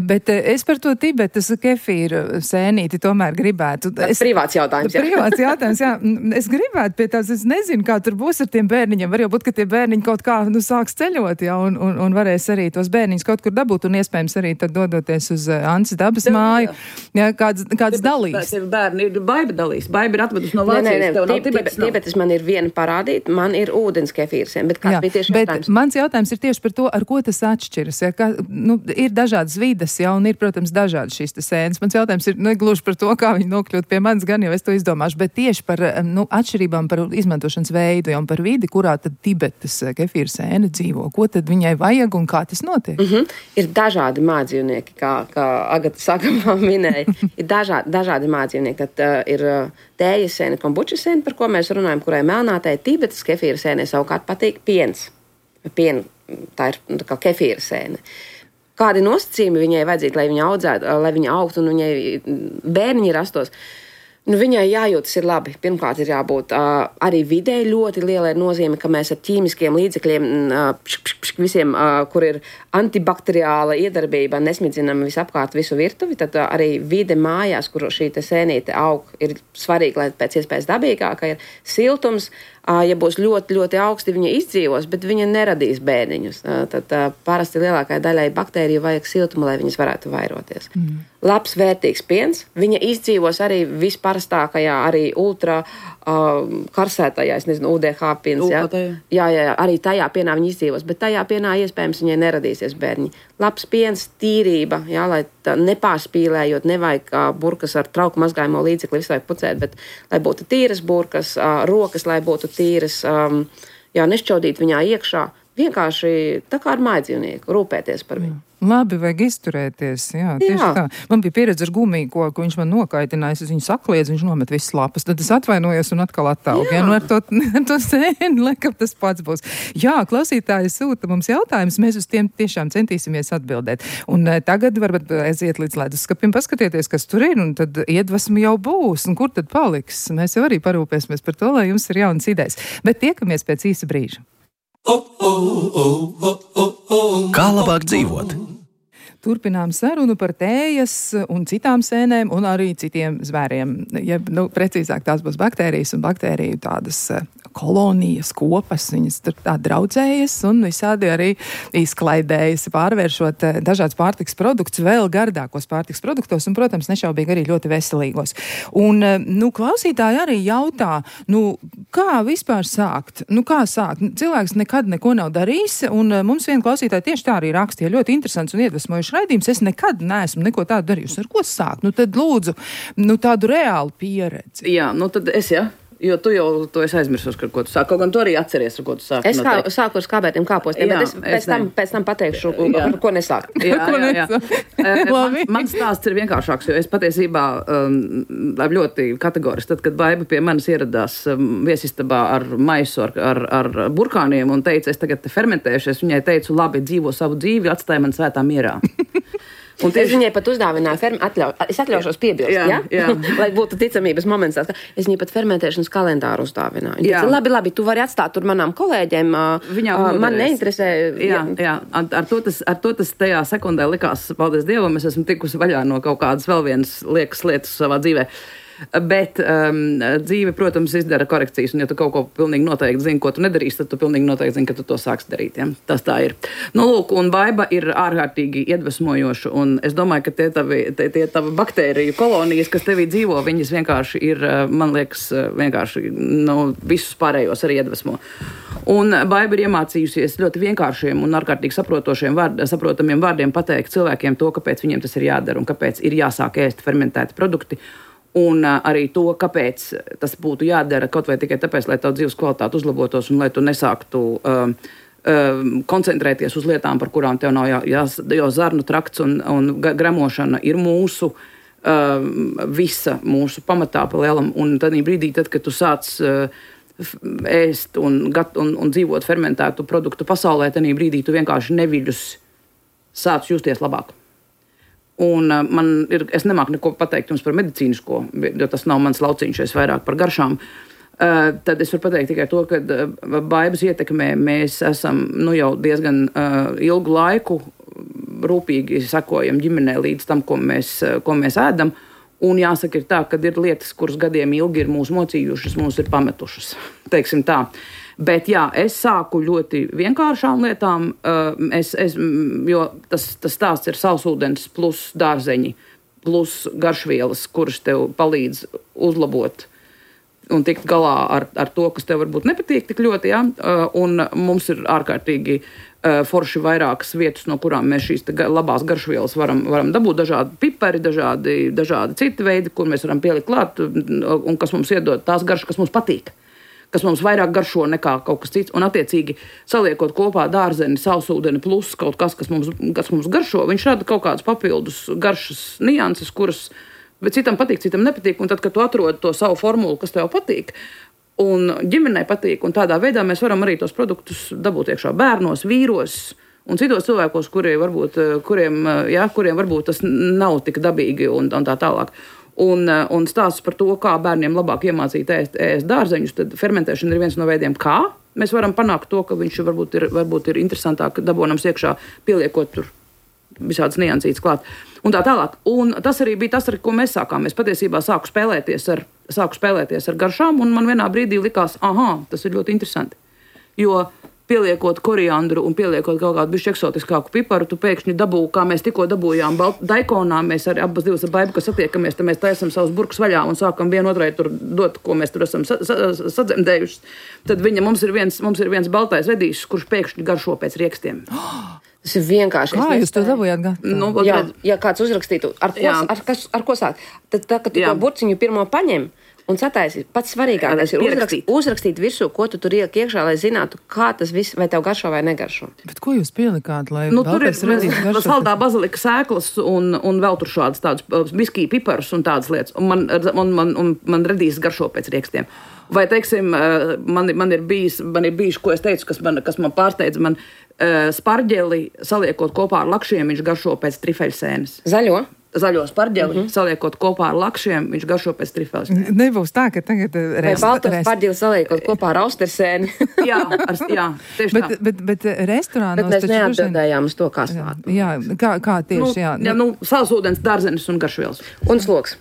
bet es par to Tibetas kefīru sēnīti tomēr gribētu. Privāts jautājums, jā. Privāts jautājums, jā. Es gribētu pie tās, es nezinu, kā tur būs ar tiem bērniņiem. Var jau būt, ka tie bērniņi kaut kā, sāks ceļot, jā, un varēs arī tos bērniņus kaut kur dabūt, un iespējams arī tad dodoties uz Ances dabas māju. Jā, kāds dalīs. Bērni ir Baiba dalīs. Baiba ir atvedusi no Vācijas. Tibetas man ir viena parādīt, man ir ūdens kefīrs, bet kāds bija tieši jautājums? Mans jautājums ir tieši par to, ar ko tas atšķiras. Ja, ir dažādas vides, jā, un ir, protams, dažādas šīs sēnes. Mans jautājums ir negluži par to, kā viņi nokļūt pie manis, gan jau es to izdomāšu, bet tieši par atšķirībām par izmantošanas veidu, ja, un par vidi, kurā tad Tibetas kefīra sēne dzīvo. Ko tad viņai vajag un kā tas notiek? Ir dažādi mājdzīvnieki, kā Agata sākumā minēja. Ir dažādi mājdzīvnieki. Tad ir tējas sēne, kombučas sēne, par ko mēs runājam, kurai melnātei. Tibetas kefīra sēnē savukārt patīk piens. Tā ir kā kefīra sēne. Kādi nosacījumi viņai vajadzīgi, lai viņa audzētu, lai viņa augtu un viņai bērniņi rastos? Viņai jājūtas ir labi. Pirmkārt, ir jābūt arī vidē ļoti lielai nozīme, ka mēs ar ķīmiskiem līdzekļiem, visiem, kur ir antibakteriāla iedarbība, nesmidzinam visapkārt visu virtuvi, tad arī vide mājās, kur šī sēnīte aug, ir svarīgi, lai pēc iespējas dabīgāka ir siltums. Ja būs ļoti, ļoti augsti, viņa izdzīvos, bet viņa neradīs bērniņus. Tad parasti lielākai daļai baktēriju vajag siltumu, lai viņas varētu vairoties. Labs, vērtīgs piens. Viņa izdzīvos arī visparastākajā, arī ultra karsētajā, es nezinu, UDH piens. Jā, arī tajā pienā viņa izdzīvos, bet tajā pienā iespējams viņai neradīsies bērniņi. Labs piens, tīrība, jā, lai nepārspīlējot, nevajag burkas ar trauku mazgājumu līdzekli visu laiku pucēt, bet lai būtu tīras burkas, rokas, lai būtu tīras, nešķaudīt viņā iekšā. Vienkārši tā kā ar mājdzīvnieku, rūpēties par viņu. Labi, vajag izturēties. Jā, tieši tā. Man bija pieredze ar gumiju, ko viņš man nokaitinājis. Es viņu sakliedzu, viņš nomet visas lapas. Tad es atvainojos un atkal attaugu. Jā, ar to sēni, laikam tas pats būs. Jā, klausītāji sūta mums jautājumus. Mēs uz tiem tiešām centīsimies atbildēt. Un tagad varbūt aiziet līdz leduskapim, paskatieties, kas tur ir, un tad iedvesmu jau būs. Un kur tad paliks? Mēs jau arī parūpēsimies par to, lai jums ir jaunas idejas. Bet tiekamies pēc īsa brīža. Kā labāk dzīvot? Turpinām sarunu par tējas un citām sēnēm un arī citiem zvēriem. Ja, precīzāk tās būs baktērijas un baktēriju tādas kolonijas, kopas, viņas tur tā draudzējas un visādi arī izklaidējas, pārvēršot dažādas pārtiks produktus vēl gardākos pārtiks produktos un, protams, nešaubīgi arī ļoti veselīgos. Un, klausītāji arī jautā, kā vispār sākt? Kā sākt? Cilvēks nekad neko nav darījis, un mums viena klausītāja tieši tā arī rakstīja ļoti interesants un iedvesmojuši raidījums. Es nekad neesmu neko tādu darījusi. Ar ko sākt? Tad lūdzu, tādu reālu pieredzi. Jā, tad es, jo tu jau to esi aizmirsus, ar ko tu sāki. Kaut gan tu arī atceries, ar ko tu sāki. Es sāku ar skābētiem kāpostiem, bet pēc tam pateikšu, ar ko nesākt. Jā. Mans stāsts ir vienkāršāks, jo es patiesībā ļoti kategoriski, tad, kad Baiba pie manis ieradās viesistabā ar maisu, ar burkāniem un teica, es tagad fermentēšu, es viņai teicu, labi, dzīvo savu dzīvi, atstāj man svētā mierā. Un es viņai pat uzdāvināju, es atļaušos piebilst, jā? Lai būtu ticamības moments. Es viņai pat fermentēšanas kalendāru uzdāvināju. Teica, labi, tu vari atstāt tur manām kolēģiem, man neinteresē. Jā. Ar to tas tajā sekundē likās, paldies Dievam, es esmu tikusi vaļā no kaut kādas vēl vienas liekas lietas savā dzīvē. Bet dzīve, protams, izdara korekcijas, un ja tu kaut ko pilnīgi noteikti zini, ko tu nedarīsi, tad tu pilnīgi noteikti zini, ka tu to sāks darīt. Ja? Tas tā ir. Lūk, un Baiba ir ārkārtīgi iedvesmojoša, un es domāju, ka tie tavi baktēriju kolonijas, kas tevī dzīvo, viņas vienkārši ir, man liekas, vienkārši visus pārējos arī iedvesmo. Un Baiba ir iemācījusies ļoti vienkāršiem un ārkārtīgi saprotamiem vārdiem pateikt cilvēkiem to, kāpēc viņiem tas ir jādara un kāpēc ir jāsāk ēst fermentēti produkti. Un arī to, kāpēc tas būtu jādara kaut vai tikai tāpēc, lai tavu dzīves kvalitāte uzlabotos un lai tu nesāktu koncentrēties uz lietām, par kurām tev nav jo zarnu trakts un gremošana ir visa mūsu pamatā pa lielam. Un tad brīdī, kad tu sāc ēst un dzīvot fermentētu produktu pasaulē, tad brīdī tu vienkārši neviļus sāc justies labāk. Un es nemāku neko pateikt jums par medicīnisko, jo tas nav mans lauciņš, es vairāk par garšām. Tad es varu pateikt tikai to, ka Baibas ietekmē mēs esam jau diezgan ilgu laiku rūpīgi sekojam ģimenē līdz tam, ko mēs ēdam. Un jāsaka, ir tā, ka ir lietas, kuras gadiem ilgi ir mūs mocījušas, mūs ir pametušas. Teiksim tā. Bet jā, es sāku ļoti vienkāršām lietām, jo tas stāsts ir sausūdens plus dārzeņi, plus garšvielas, kuras tev palīdz uzlabot un tikt galā ar to, kas tev varbūt nepatīk tik ļoti. Ja? Un mums ir ārkārtīgi forši vairākas vietas, no kurām mēs šīs labās garšvielas varam dabūt. Dažādi pipari, dažādi citi veidi, kur mēs varam pielikt klāt un kas mums iedod tās garšas, kas mums patīk. Kas mums vairāk garšo nekā kaut kas cits, un attiecīgi saliekot kopā dārzeni, sausūdeni plus kaut kas mums garšo, viņš rada kaut kādas papildus garšas nianses, kuras bet citam patīk, citam nepatīk, un tad, kad tu atrodi to savu formulu, kas tev patīk, un ģimenei patīk, un tādā veidā mēs varam arī tos produktus dabūt iekšā bērnos, vīros un citos cilvēkos, kuriem varbūt tas nav tik dabīgi un tā tālāk. Un stāsts par to, kā bērniem labāk iemācīt ēst dārzeņus, tad fermentēšana ir viens no veidiem, kā mēs varam panākt to, ka viņš varbūt ir interesantāk dabonams iekšā, pieliekot tur visādas niansītas klāt. Un tā tālāk. Un tas arī bija tas, ar ko mēs sākām. Es patiesībā sāku spēlēties ar garšām, un man vienā brīdī likās, tas ir ļoti interesanti. Jo pieliekot koriandru un pieliekot kaut kādu bišķi eksotiskāku piparu, tu pēkšņi dabū, kā mēs tikko dabūjām Daikonā, mēs arī abas divas ar Baibu, kas satiekamies, tad mēs taisam savus burkus vaļā un sākam vienotrai tur dot, ko mēs tur esam sadzemdējuši. Tad mums ir viens baltais vedīšs, kurš pēkšņi garšo pēc riekstiem. Tas ir vienkārši. Kā jūs to dabūjāt gatavu? Ja kāds uzrakstītu, ar ko sākt, tad tā, ka tu to burciņu pirmo paņem un sataisi, pats svarīgākais ir uzrakstīt virsū, ko tu tur ieliek iekšā, lai zinātu, kā tas viss, vai tev garšo vai negaršo. Bet ko jūs pielikāt, lai tur ir saldā bazilika sēklas un vēl tur šādas tādas biskī piparus un tādas lietas. Un man radīs garšo pēc riekstiem. Vai, teiksim, man ir bijis, ko es teicu, kas man pārsteidza, man sparģeli saliekot kopā ar lakšiem, viņš garšo pēc trifeļsēnes. Zaļo sparģeli, saliekot kopā ar lakšiem, viņš garšo pēc trifeļsēnes. Nebūs tā, ka tagad vai balto sparģeli saliekot kopā ar austersēni. jā, tieši tā. Bet restorānos... Bet mēs neatbildējām uz to, kā slāt. Jā, kā tieši, jā. Sausūdens, dārzenis un garšvielas. Un sloks.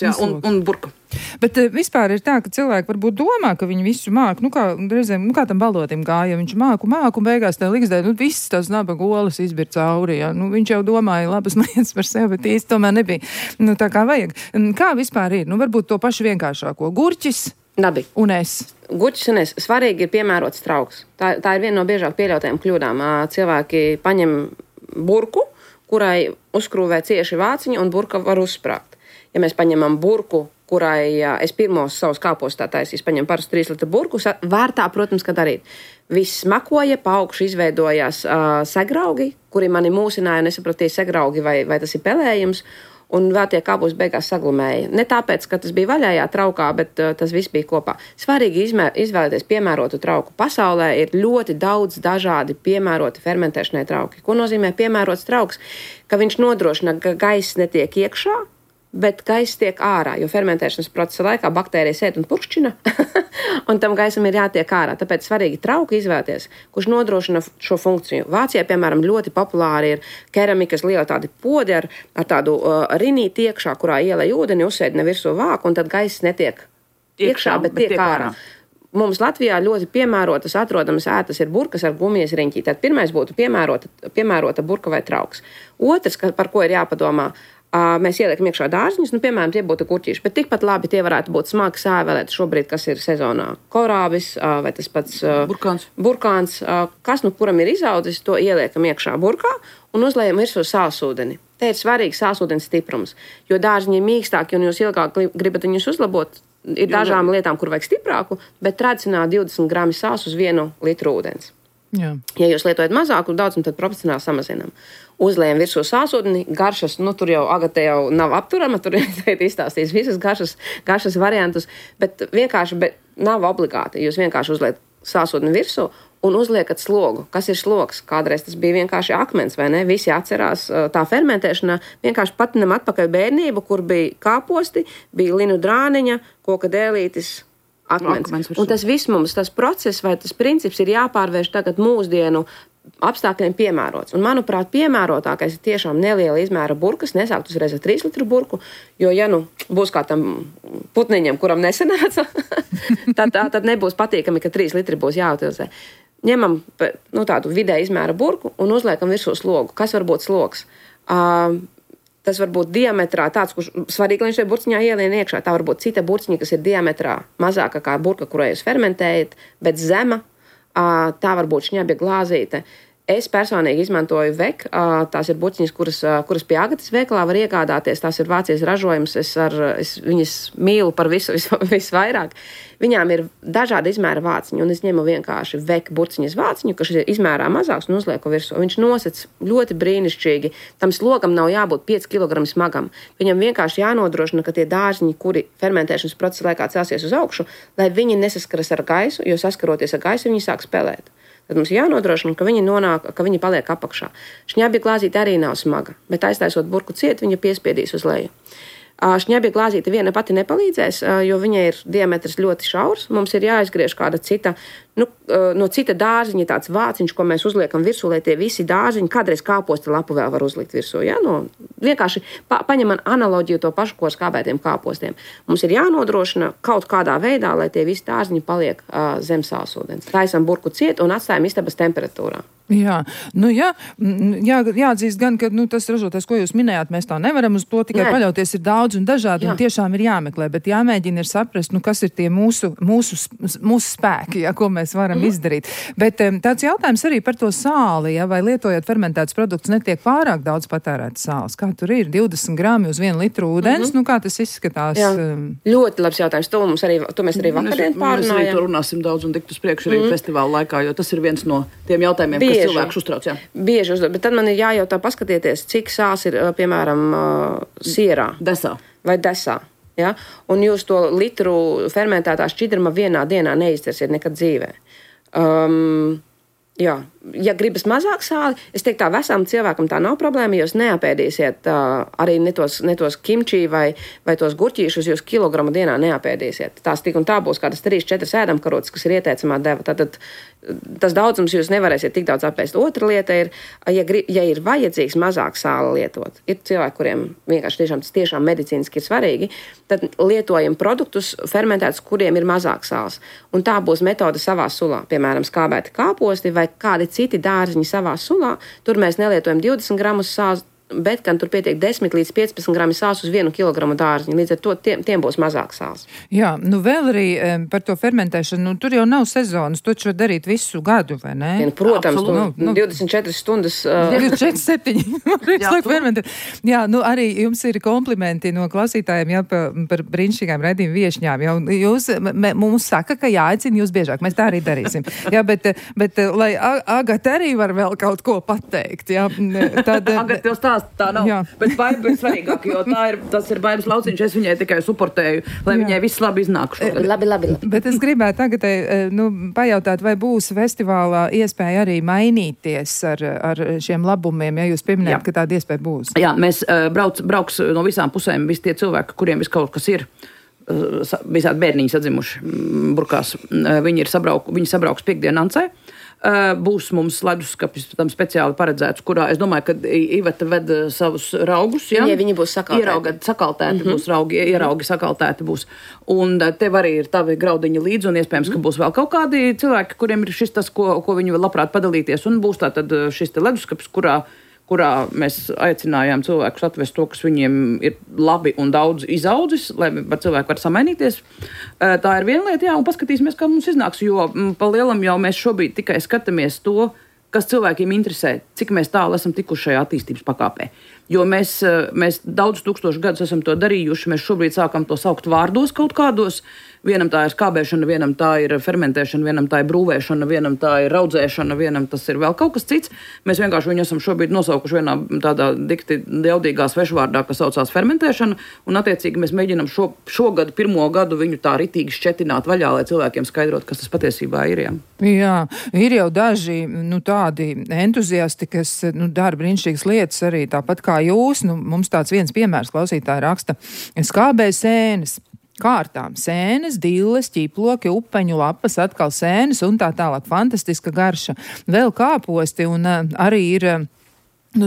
Jā, un burka. Bet vispār ir tā, ka cilvēki varbūt domā, ka viņi visu māk, kā tam balotim gāja, viņš māku, un beigās tā liksdē, viss tās nabaga olas izbir cauri, jā. Viņš jau domāja labas lietas par sevi, bet īsti tomēr nebija, tā kā vajag. Kā vispār ir? Varbūt to pašu vienkāršāko. Gurķis un es. Gurķis un es. Svarīgi ir piemērots trauks. Tā ir viena no biežāk pieļautajām kļūdām. Cilvēki paņem burku, kurai uzkrūvē cieši vāciņi, un burka var uzsprāgt. Ja mēs paņemam burku, kurai es pirmos savus kāpos tā taisīs, paņem parastu 3 litru burku, vērtā, protams, ka darīt. Viss smakoja, pa augšu izveidojās segraugi, kuri mani mūsināja, un es sapratīju segraugi, vai tas ir pelējums, un vēl tie kāpos beigās saglumēja. Ne tāpēc, ka tas bija vaļājā traukā, bet tas viss bija kopā. Svarīgi izvēlēties piemērotu trauku. Pasaulē ir ļoti daudz dažādi piemēroti fermentēšanai trauki. Ko nozīmē piemērots trauks? Ka viņš nodrošina, ka gaiss netiek iekšā, bet gaiss tiek ārā, jo fermentēšanas procesa laikā baktērijas ēd un purkšķina, un tam gaisam ir jātiek ārā. Tāpēc svarīgi trauku izvēlēties, kurš nodrošina šo funkciju. Vācijā, piemēram, ļoti populāri ir keramikas liela tādi podi ar tādu rinīti iekšā, kurā ielej ūdeni, uzsēdina virsū vāku, un tad gaiss netiek iekšā, bet tiek ārā. Mums Latvijā ļoti piemērotas atrodamas ētas ir burkas ar gumijas riņķī. Tad pirmais būtu piemērota burka vai trauks. Otrs, par ko ir jāpadomā, mēs ieliekam iekšā dārziņus, piemēram, tie būtu gurķīši, bet tikpat labi tie varētu būt smagi sēvelēti šobrīd, kas ir sezonā. Korābis vai tas pats burkāns, kas kuram ir izaudzis, to ieliekam iekšā burkā un uzlējam virsū sālsūdeni. Te ir svarīgs sālsūdens stiprums, jo dārziņi ir mīkstāki un jūs ilgāk gribat viņus uzlabot. Ir dažām lietām, kur vajag stiprāku, bet tradicionāli 20 grami sāls uz 1 litru ūdens. Jā. Ja jūs lietojat mazāku daudzumu, tad proporcionāli samazinām. Uzlējam virsū sālsūdeni, garšas, tur jau Agate jau nav apturama, tur ir izstāstījis visas garšas variantus, bet nav obligāti. Jūs vienkārši uzliet sālsūdeni virsū un uzliekat slogu. Kas ir slogs? Kādreiz tas bija vienkārši akmens, vai ne? Visi atcerās tā fermentēšanā. Vienkārši patinam atpakaļ bērnību, kur bija kāposti, bija linu drāniņa, koka dēlītis, akmens. Un tas viss mums, tas process vai tas princips ir jāpārvērš tagad mūsdienu apstākļiem piemērots. Un, manuprāt, piemērotākais ir tiešām neliela izmēra burkas, nesākt uzreiz ar 3 litru burku, jo, ja būs kā tam putniņam, kuram nesanāca, tad nebūs patīkami, ka 3 litri būs jāutilizē. Ņemam tādu vidēja izmēra burku un uzliekam virsū slogu. Kas var būt slogs? Tas var būt diametrā tāds, kurš svarīgi, lai viņš šajā burciņā ielien iekšā. Tā var būt cita burciņa, kas ir diametrā mazāka kā burka, kurai jūs fermentējat, bet zema. Tā var būt šņabja glāzīte. Es personīgi izmantoju vek, tās ir burciņas, kuras pie Agatas veikalā var iegādāties. Tās ir Vācijas ražojums, es viņas mīlu par visvairāk. Viņām ir dažādi izmēra vāciņi, un es ņemu vienkārši vek burciņas vāciņu, kas ir izmērā mazāks, un uzlieku virsū. Viņš nosec ļoti brīnišķīgi. Tam slogam nav jābūt 5 kg smagam. Viņam vienkārši jānodrošina, ka tie dārziņi, kuri fermentēšanas procesa laikā celsies uz augšu, lai viņi nesaskaras ar gaisu, jo saskaroties ar gaisu, viņi sāk spēlēt. Tad mums jānodrošina, ka viņi paliek apakšā. Šņabja glāzīte arī nav smaga, bet aiztaisot burku ciet, viņa piespiedīs uz leju. Šņabja glāzīte viena pati nepalīdzēs, jo viņai ir diametrs ļoti šaurs. Mums ir jāizgriež kāda cita, no cita dārziņa tāds vāciņš, ko mēs uzliekam virsū, lai tie visi dārziņi, kādreiz kāposta lapu vēl var uzlikt virsū. Ja? Vienkārši paņemam analoģiju to pašu, ko skābētiem kāpostiem. Mums ir jānodrošina kaut kādā veidā, lai tie visi dārziņi paliek zem sālsūdens. Taisam burku ciet un atstājam istabas temperatūrā. Jā, jāatzīst gan, ka tas ražotājs, ko jūs minējāt, mēs tā nevaram uz to tikai paļauties, ir daudz un dažādi, un tiešām ir jāmeklē, bet jāmēģina ir saprast, kas ir tie mūsu spēki, ko mēs varam izdarīt. Bet tāds jautājums arī par to sāli, vai lietojot fermentētus produktus netiek pārāk daudz patērētas sāls. Kā tur ir? 20 grami uz 1 litru ūdens, kā tas izskatās? Jā. Ļoti labs jautājums. To mēs arī vakardien pārunājām. Mēs arī to runāsim daudz un tikt uz priekšu arī festivāla laikā, jo tas ir viens no tiem jautājumiem, kas cilvēks uztrauc. Bieži uzdod, bet tad man ir jājautā paskatieties, cik sāls ir, piemēram, sierā. Desā. Vai desā. Ja? Un jūs to litru fermentētā šķidruma vienā dienā neizcersiet nekad dzīvē. Ja gribas mazāk sāli, es teiktu, tā vesam cilvēkam tā nav problēma, jūs neapēdīsiet arī ne tos kimči vai tos gurķīšus, jūs kilogramu dienā neapēdīsiet. Tās tik un tā būs kādas 3-4 ēdamkarotes, kas ir ieteicamā deva. Tātad tas daudzums jūs nevarēsiet tik daudz apēst. Otra lieta ir, ja ir vajadzīgs mazāk sāli lietot, ir cilvēki, kuriem vienkārši tiešām medicīniski ir svarīgi, tad lietojam produktus fermentētus, kuriem ir mazāk sāls. Un tā būs metode savā sulā, piemēram, skābēti kāposti vai kādi citi dārziņi savā sulā. Tur mēs nelietojam 20 gramus sāls, bet gan tur pietiek 10 līdz 15 grami sāls uz 1 kilogramu dārziņu. Līdz ar to tiem būs mazāk sāls. Jā, vēl arī par to fermentēšanu, tur jau nav sezonas, to var darīt visu gadu, vai ne? Protams, 24 stundas. 24/7. Jā, arī jums ir komplimenti no klausītājiem par brīnišķīgām raidījumu viešņām. Jūs mums saka, ka jāaicina jūs biežāk. Mēs tā arī darīsim. Jā, bet lai Agata arī var vēl kaut ko pateikt. Jā, tad... Agata, tā nav, jā. Bet Baiba ir svarīgāk, jo tas ir Baibas lauciņš, es viņai tikai suportēju, lai viņai viss labi iznāk šogad. Labi. Bet es gribētu tagad pajautāt, vai būs festivālā iespēja arī mainīties ar šiem labumiem, ja jūs pieminējat, ka tāda iespēja būs. Jā, mēs brauks no visām pusēm, visi tie cilvēki, kuriem vis kaut kas ir, visādi bērniņi sadzimuši burkās, viņi sabrauks piekdien Ancē. Būs mums leduskapis tam speciāli paredzēts, kurā es domāju, ka Iveta ved savus raugus. Ja? Viņi būs sakaltēti. Būs raugi, ieraugi sakaltēti būs. Un tev arī ir tavi graudiņi līdzi, un iespējams, ka būs vēl kaut kādi cilvēki, kuriem ir šis tas, ko viņi vēl labprāt padalīties. Un būs tātad šis te leduskapis, kurā mēs aicinājām cilvēkus atvest to, kas viņiem ir labi un daudz izaudzis, lai cilvēki var samainīties. Tā ir viena lieta, un paskatīsimies, kā mums iznāks, jo pa lielam jau mēs šobrīd tikai skatāmies to, kas cilvēkiem interesē, cik mēs tālu esam tikuši šajā attīstības pakāpē. Jo mēs daudz tūkstošu gadus esam to darījuši, mēs šobrīd sākam to saukt vārdos kaut kādos. Vienam tā ir skābēšana, vienam tā ir fermentēšana, vienam tā ir brūvēšana, vienam tā ir raudzēšana, vienam tas ir vēl kaut kas cits. Mēs vienkārši viņu esam šobrīd nosaukuši vienā tādā dikti jaudīgā svešvārdā, kas saucās fermentēšana, un attiecīgi mēs mēģinam šogad pirmo gadu viņu tā ritīgi šķetināt vaļā, lai cilvēkiem skaidrot, kas tas patiesībā ir. Jā, ir jau daži tādi entuziasti, kas dara brīnišķīgas lietas arī tāpat kā jūs. Mums tāds viens piemērs klausītāji raksta skābē sēnes. kārtām. Sēnes, dilles, ķiploki, upeņu lapas, atkal sēnes un tā tālāk. Fantastiska garša. Vēl kāposti un arī ir...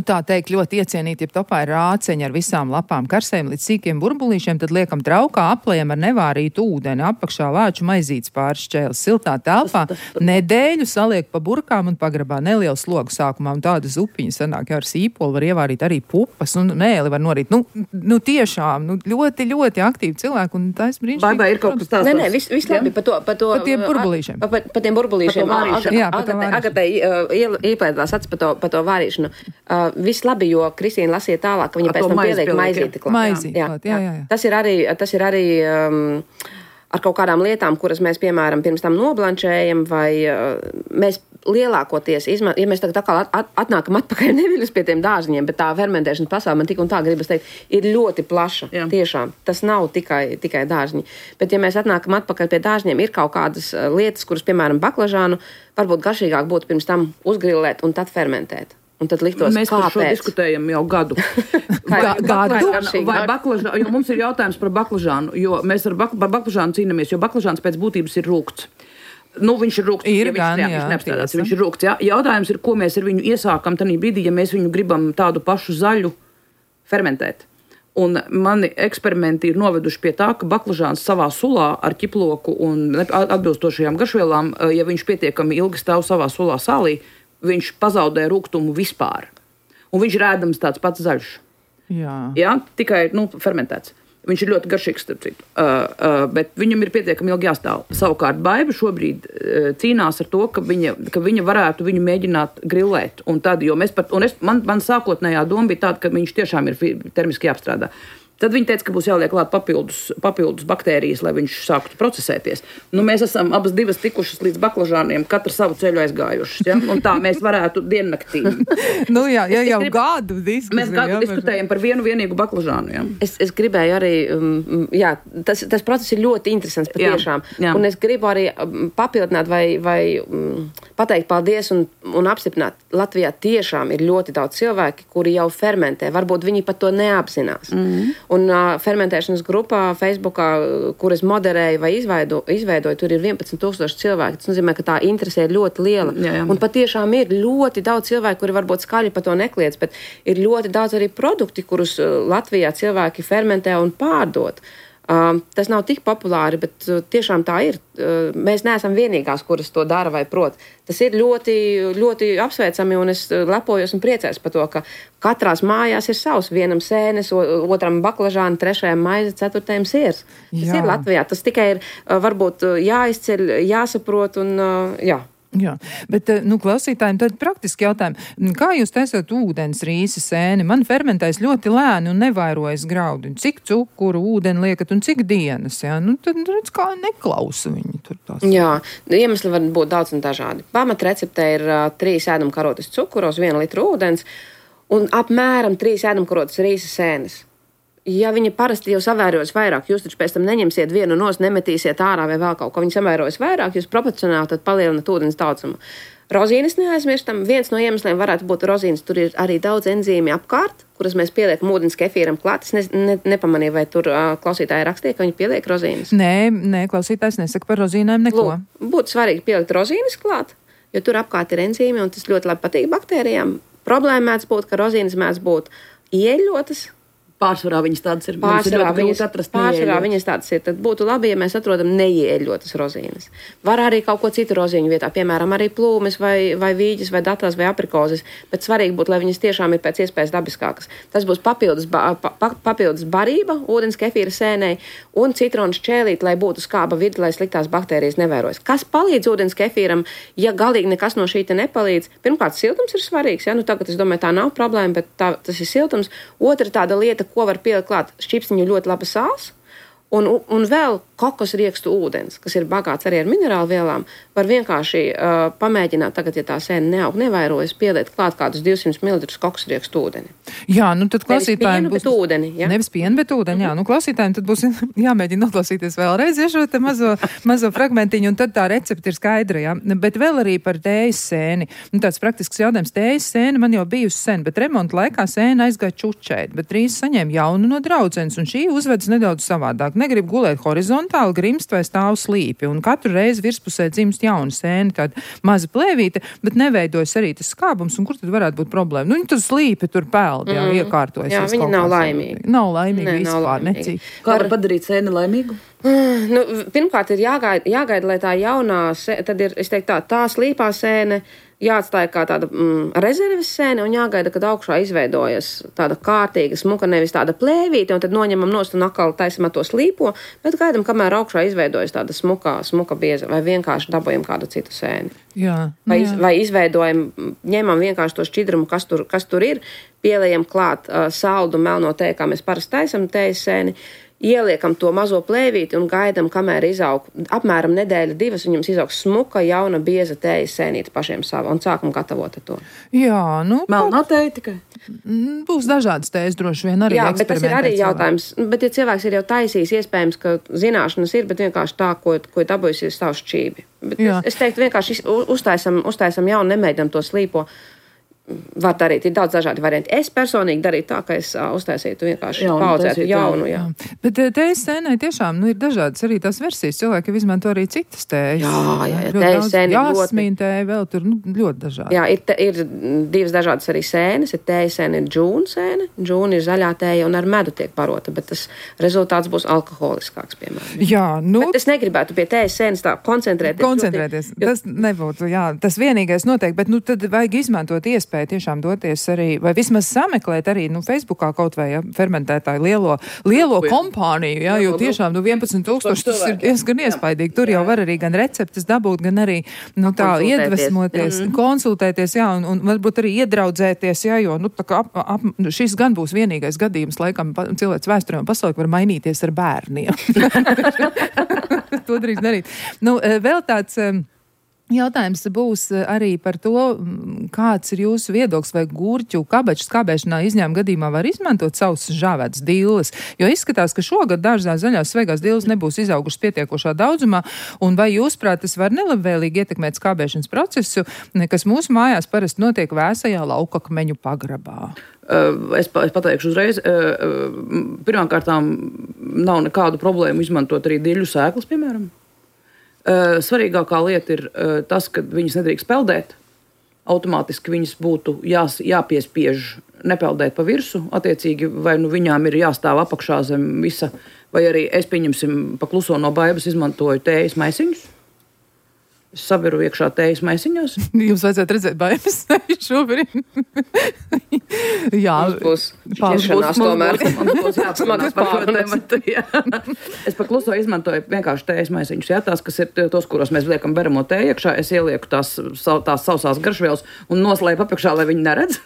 tā teikt, ļoti iecienīti, ja topā ir rāceņi ar visām lapām karsēm līdz sīkiem burbulīšiem, tad liekam traukā, aplējam ar nevārītu ūdeni, apakšā lāču maizītes pāris šķēles, siltā telpā, nedēļu saliek pa burkām un pagrabā nelielu slogu sākumā, un tādas upiņas sanāk, ar sīpolu var ievārīt arī pupas, un mēli var norīt. Tiešām, ļoti, ļoti aktīvi cilvēki, un tā es brīnišķīgi. Vai ir kaut kas tāds? Nē, viss labi, pa tiem burbulīšiem. Pa tiem burbulīšiem. Agatē ieplēdās acis pa to vārīšanu. Viss labi, jo Kristīna lasīja tālāk, ka viņa pēc tam pieliek maizīti klāt. Jā. Tas ir arī ar kaut kādām lietām, kuras mēs, piemēram, pirms tam noblančējam, vai mēs lielākoties, ja mēs tagad atkal atnākam atpakaļ neviļus pie tiem dārziņiem, bet tā fermentēšanas pasaule, man tik un tā gribas teikt, ir ļoti plaša. Jā. Tiešām. Tas nav tikai dārziņi. Bet ja mēs atnākam atpakaļ pie dārziņiem, ir kaut kādas lietas, kuras, piemēram, baklažānu, varbūt garšīgāk būtu pirms tam uzgrillēt un tad fermentēt. Un tad liktos, mēs par šo diskutējam jau gadu. Vai baklažānu, jo mums ir jautājums par baklažānu, jo mēs par baklažānu cīnamies, jo baklažāns pēc būtības ir rūkts. Viņš ir rūkts, viņš ir rūkts, jā. Jautājums ir, ko mēs ar viņu iesākam tanī brīdī, ja mēs viņu gribam tādu pašu zaļu fermentēt. Un mani eksperimenti ir noveduši pie tā, ka baklažāns savā sulā ar ķiploku un atbilstošajām garšvielām, ja viņš pietiekami ilgi stāv savā sulā sālī, viņš pazaudē rūgtumu vispār. Un viņš ir ēdams tāds pats zaļš. Jā, tikai fermentēts. Viņš ir ļoti garšīgs, starp citu. Bet viņam ir pietiekami ilgi jāstāv. Savukārt Baiba šobrīd cīnās ar to, ka viņa varētu viņu mēģināt grillēt. Un tad, jo man sākotnējā doma bija tāda, ka viņš tiešām ir termiski jāapstrādā. Tad viņi teica, ka būs jāliek klāt papildus baktērijas, lai viņš sāktu procesēties. Mēs esam abas divas tikušas līdz baklažāniem, katra savu ceļu aizgājušas. Ja? Un tā mēs varētu diennaktī. Gadu diskutējam. Mēs gadu diskutējam par vienīgu baklažānu. Ja? Es gribēju arī, tas process ir ļoti interesants patiešām. Jā. Un es gribu arī papildināt vai pateikt paldies un apstiprināt. Latvijā tiešām ir ļoti daudz cilvēki, kuri jau fermentē. Varbūt viņi pat to neapzinās. Un fermentēšanas grupā Facebookā, kuras moderēja vai izveidoja, tur ir 11,000 cilvēki. Tas nozīmē, ka tā interese ir ļoti liela. Jā. Un patiešām ir ļoti daudz cilvēku, kuri varbūt skaļi par to nekliedz, bet ir ļoti daudz arī produkti, kurus Latvijā cilvēki fermentē un pārdod. Tas nav tik populāri, bet tiešām tā ir. Mēs neesam vienīgās, kuras to dara vai prot. Tas ir ļoti, ļoti apsveicami, un es lepojos un priecājos par to, ka katrās mājās ir savs. Vienam sēnes, otram baklažāni, trešajam maize, ceturtajam siers. Tas ir Latvijā. Tas tikai ir varbūt jāizceļ, jāsaprot un jā. Jā, bet, klausītājiem tad praktiski jautājumi. Kā jūs taisat ūdens rīsi sēni? Man fermentēs ļoti lēni un nevairojas graudi. Cik cukuru, ūdeni liekat un cik dienas? Jā? Tad redz, kā neklausa viņi tur tās. Jā, iemesli var būt daudz un dažādi. Pamat recepte ir 3 ēdamkarotes cukuros, 1 litru ūdens un apmēram 3 ēdamkarotes rīsa sēnes. Ja viņi parasti jau savērojas vairāk, jūs taču pēc tam neņemsiet vienu nos, nemetīsiet ārā vai vēl kaut ko. Viņi savērojas vairāk, jūs proporcionāli tad palielinat ūdens daudzumu. Rozīnes neaizmirstam. Viens no iemesliem varētu būt rozīnes. Tur ir arī daudz enzīmi apkārt, kuras mēs pieliekam ūdens kefīram klāt. Es nepamanīju, vai tur klausītāji rakstīja, ka viņi pieliek rozīnes. Nē, klausītājs nesaka par rozīnēm neko. Būtu svarīgi pielikt rozīnes klāt, jo tur apkārt ir enzīmi un tas ļoti labi patīk baktērijām. Problēma mēdz būt, ka rozīnes mēdz būt ieļotas. Pārsvarā viņas tādas ir. Pārsvarā viņas tādas ir. Tad būtu labi, ja mēs atrodam neieļotas rozīnes. Var arī kaut ko citu rozīņu vietā, piemēram, arī plūmes vai vīģes vai datās vai aprikozes, bet svarīgi būtu, lai viņas tiešām ir pēc iespējas dabiskākas. Tas būs papildus barība ūdens kefīra sēnei un citronu šķēlīt, lai būtu skāba vide, lai sliktās baktērijas nevērojas. Kas palīdz ūdens kefīram, ja galīgi nekas no šī te nepalīdz? Pirmkārt, siltums ir svarīgs, ja? Tagad es domāju, tā nav problēma, bet tas ir siltums. Otra tāda lieta, ko var pielikt klāt, šķipsniņu ļoti laba sāls un vēl kokosriekstu ūdens, kas ir bagāts arī ar minerālu vielām, var vienkārši pamēģināt tagad, ja tā sēne neaug, nevairojas, pieliet klāt kādus 200 ml kokosriekstu ūdeni. Jā, tad klausītājiem būs... ūdeni, ja? Nevis pienu, bet ūdeni, jā. Klausītājiem tad būs jāmēģina noklausīties vēlreiz, ja šo te mazo fragmentiņu, un tad tā recepte ir skaidra, jā. Bet vēl arī par tējas sēni. Tāds praktisks jautājums. Tējas sēne man jau bijusi sen, bet remonta laikā sēne aizgāja čučēt, bet drīz saņēma jaunu no draudzenes, un šī uzvedas nedaudz savādāk. negrib gulēt horizontāli, grimst vai stāv slīpi, un katru reizi virspusē dzimst jauna sēne, tāda maza plēvīte, bet neveidojas arī tas skābums, un kur tad varētu būt problēma? Nu, viņi tur slīpi, tur peld, iekārtojas. Jā, viņi nav laimīgi. Nav laimīgi vispār, necīgi. Kā var padarīt sēni laimīgu? Nu, pirmkārt, ir jāgaida, lai tā jaunā, tad ir, es teiktu tā slīpā sēne jāatstāja kā tāda rezerves sēne un jāgaida, kad augšā izveidojas tāda kārtīga smuka, nevis tāda plēvīte, un tad noņemam nost un atkal taisam to slīpo, bet gaidam, kamēr augšā izveidojas tāda smuka bieza, vai vienkārši dabojam kādu citu sēni. Jā. Vai izveidojam, ņemam vienkārši to šķidrumu, kas tur ir, pieliejam klāt saldu melno tēju, kā mēs parasti taisam tējas sēni, ieliekam to mazo plēvīti un gaidam, kamēr izaug apmēram nedēļa, 2, un jums izaugs smuka, jauna, bieza tējas sēnīte pašiem sava, un sākam gatavot ar to. Jā, nu... Melnā tēja tikai? Būs dažādas tējas droši vien arī. Jā, bet tas ir arī jautājums. Bet, ja cilvēks ir jau taisījis, iespējams, ka zināšanas ir, bet vienkārši tā, ko dabūjis, ir savu šķībi. Bet es teiktu, vienkārši uztaisam jaunu, nemēģinam to slīpo. Var darīt, ir daudz dažādi varianti. Es personīgi darītu tā, ka es uztaisītu vienkārši paudzētu jaunu. Jā. Bet tējas sēnai tiešām ir dažādas arī tās versijas. Cilvēki izmanto arī citas tējas. Jā, tējas sēni jāsmīn tēja vēl tur ļoti dažādi. Jā, ir 2 dažādas arī sēnes. Tējas sēne ir džūna sēne. Džūna ir zaļā tēja un ar medu tiek barota, bet tas rezultāts būs alkoholiskāks, piemēram. Jā, nu... Bet es negribētu pie tējas sēnes tā koncentrēties. Tas nebūtu, jā, tas vienīgais noteikti, bet tad vajag izmantot iespēju tiešām doties arī, vai vismaz sameklēt arī, Facebookā kaut vai, fermentētāju lielo kompāniju, jo tiešām, 11,000 tas ir diezgan iespaidīgi. Tur jau var arī gan receptes dabūt, gan arī, tā iedvesmoties, konsultēties, un varbūt arī iedraudzēties, jo, tā kā šis gan būs vienīgais gadījums, laikam, cilvēks vēsturē un pasaulē var mainīties ar bērniem. To drīz darīt. Vēl tāds... Jautājums būs arī par to, kāds ir jūsu viedoklis, vai gurķu kabaču skābēšanā izņēmuma gadījumā var izmantot savus žāvētas dilles, jo izskatās, ka šogad dārzā zaļās svaigās dilles nebūs izaugušas pietiekošā daudzumā, un vai jūsuprāt tas var nelabvēlīgi ietekmēt skābēšanas procesu, kas mūsu mājās parasti notiek vēsajā laukakmeņu pagrabā? Es pateikšu uzreiz, pirmkārtām nav nekādu problēmu izmantot arī diļu sēklas, piemēram. Svarīgākā lieta ir tas, ka viņas nedrīkst peldēt. Automātiski viņas būtu jāpiespiež nepeldēt pa virsu. Attiecīgi, vai viņām ir jāstāv apakšā zem visa, vai arī es, pieņemsim, pa kluso no baibas izmantoju tējas maisiņus. Es sabiru iekšā tējas maisiņos. Jums vajadzētu redzēt baibas šobrīd. Jā, būs šķiršanās tomēr. Smagas pārunēmat. Es pa kluso izmantoju vienkārši tējas maisiņus. Jā, tās, kas ir tos, kuros mēs liekam beramo tēju iekšā, es ielieku tās sausās garšvielas un noslēpu apakšā, lai viņi neredz.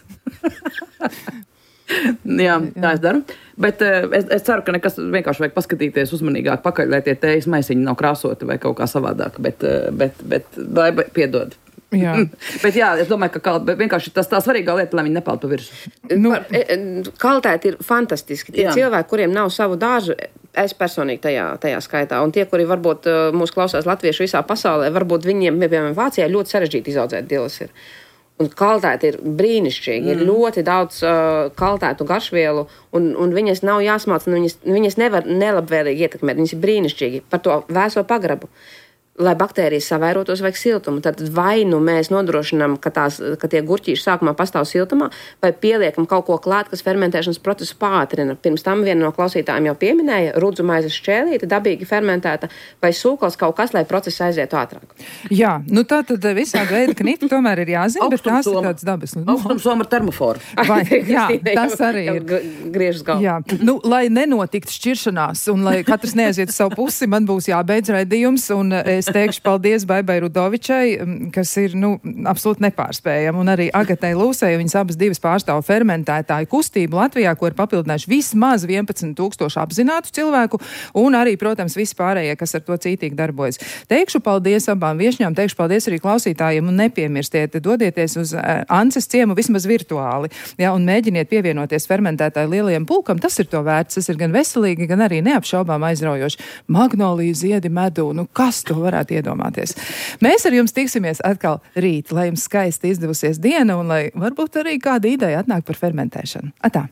Jā, tā es daru. Bet es ceru, ka nekas vienkārši vajag paskatīties uzmanīgāk pakaļ, lai tie tējas maisiņi nav krāsoti vai kaut kā savādāk. Bet piedod. Jā. Bet jā, es domāju, ka vienkārši tā svarīgā lieta, lai viņi nepeld pa virsu. Kvalitāte ir fantastiski. Tie cilvēki, kuriem nav savu dārzu, es personīgi tajā skaitā, un tie, kuri varbūt mūs klausās latviešu visā pasaulē, varbūt viņiem, piemēram, Vācijā ļoti sarežģīti izaudzēt dilles ir. Un kvalitāte ir brīnišķīga, ir ļoti daudz kvalitātu garšvielu, un viņas nav jāsmāc, un viņas nevar nelabvēlīgi ietekmēt, viņas ir brīnišķīgi par to vēso pagrabu. Lai baktērijas savairotos, vajag siltumu. Tad vai mēs nodrošinām, ka tie gurķīši sākumā pastāv siltumā, vai pieliekam kaut ko klāt, kas fermentēšanas procesu pātrina. Pirms tam viena no klausītājiem jau pieminēja rudzu maizes šķēlīte, dabīgi fermentēta, vai sūkals kaut kas, lai process aizietu ātrāk. Jā, tā tad visādi veidi kniti tomēr ir jāzina, bet tās ir tāds dabas. Augstumsoma ar termoforu. Jā, tas arī ir. Griežas galvu. Jā, lai nenotiktu šķiršanās un lai katrs neaiziet savu pusi, man būs jābeidz raidījums, un es teikšu paldies Baibai Rudovičai, kas ir, absolūti nepārspējama, un arī Agatai Lūsei, viņas abas divas pārstāv fermentētāju kustību Latvijā, ko ir papildinājuši vismaz 11,000 apzinātu cilvēku, un arī, protams, visi pārējie, kas ar to cītīgi darbojas. Teikšu paldies abām viešņām, teikšu paldies arī klausītājiem, un nepiemirstiet, dodieties uz Ances ciemu vismaz virtuāli, un mēģiniet pievienoties fermentētāju lielajam pulkam, tas ir to vērts, tas ir gan veselīgi, gan arī neapšaubām aizraujoši. Magnoliju ziedi medū, kas to varētu iedomāties. Mēs ar jums tiksimies atkal rīt, lai jums skaisti izdevusies diena un lai varbūt arī kāda ideja atnāk par fermentēšanu. Atā!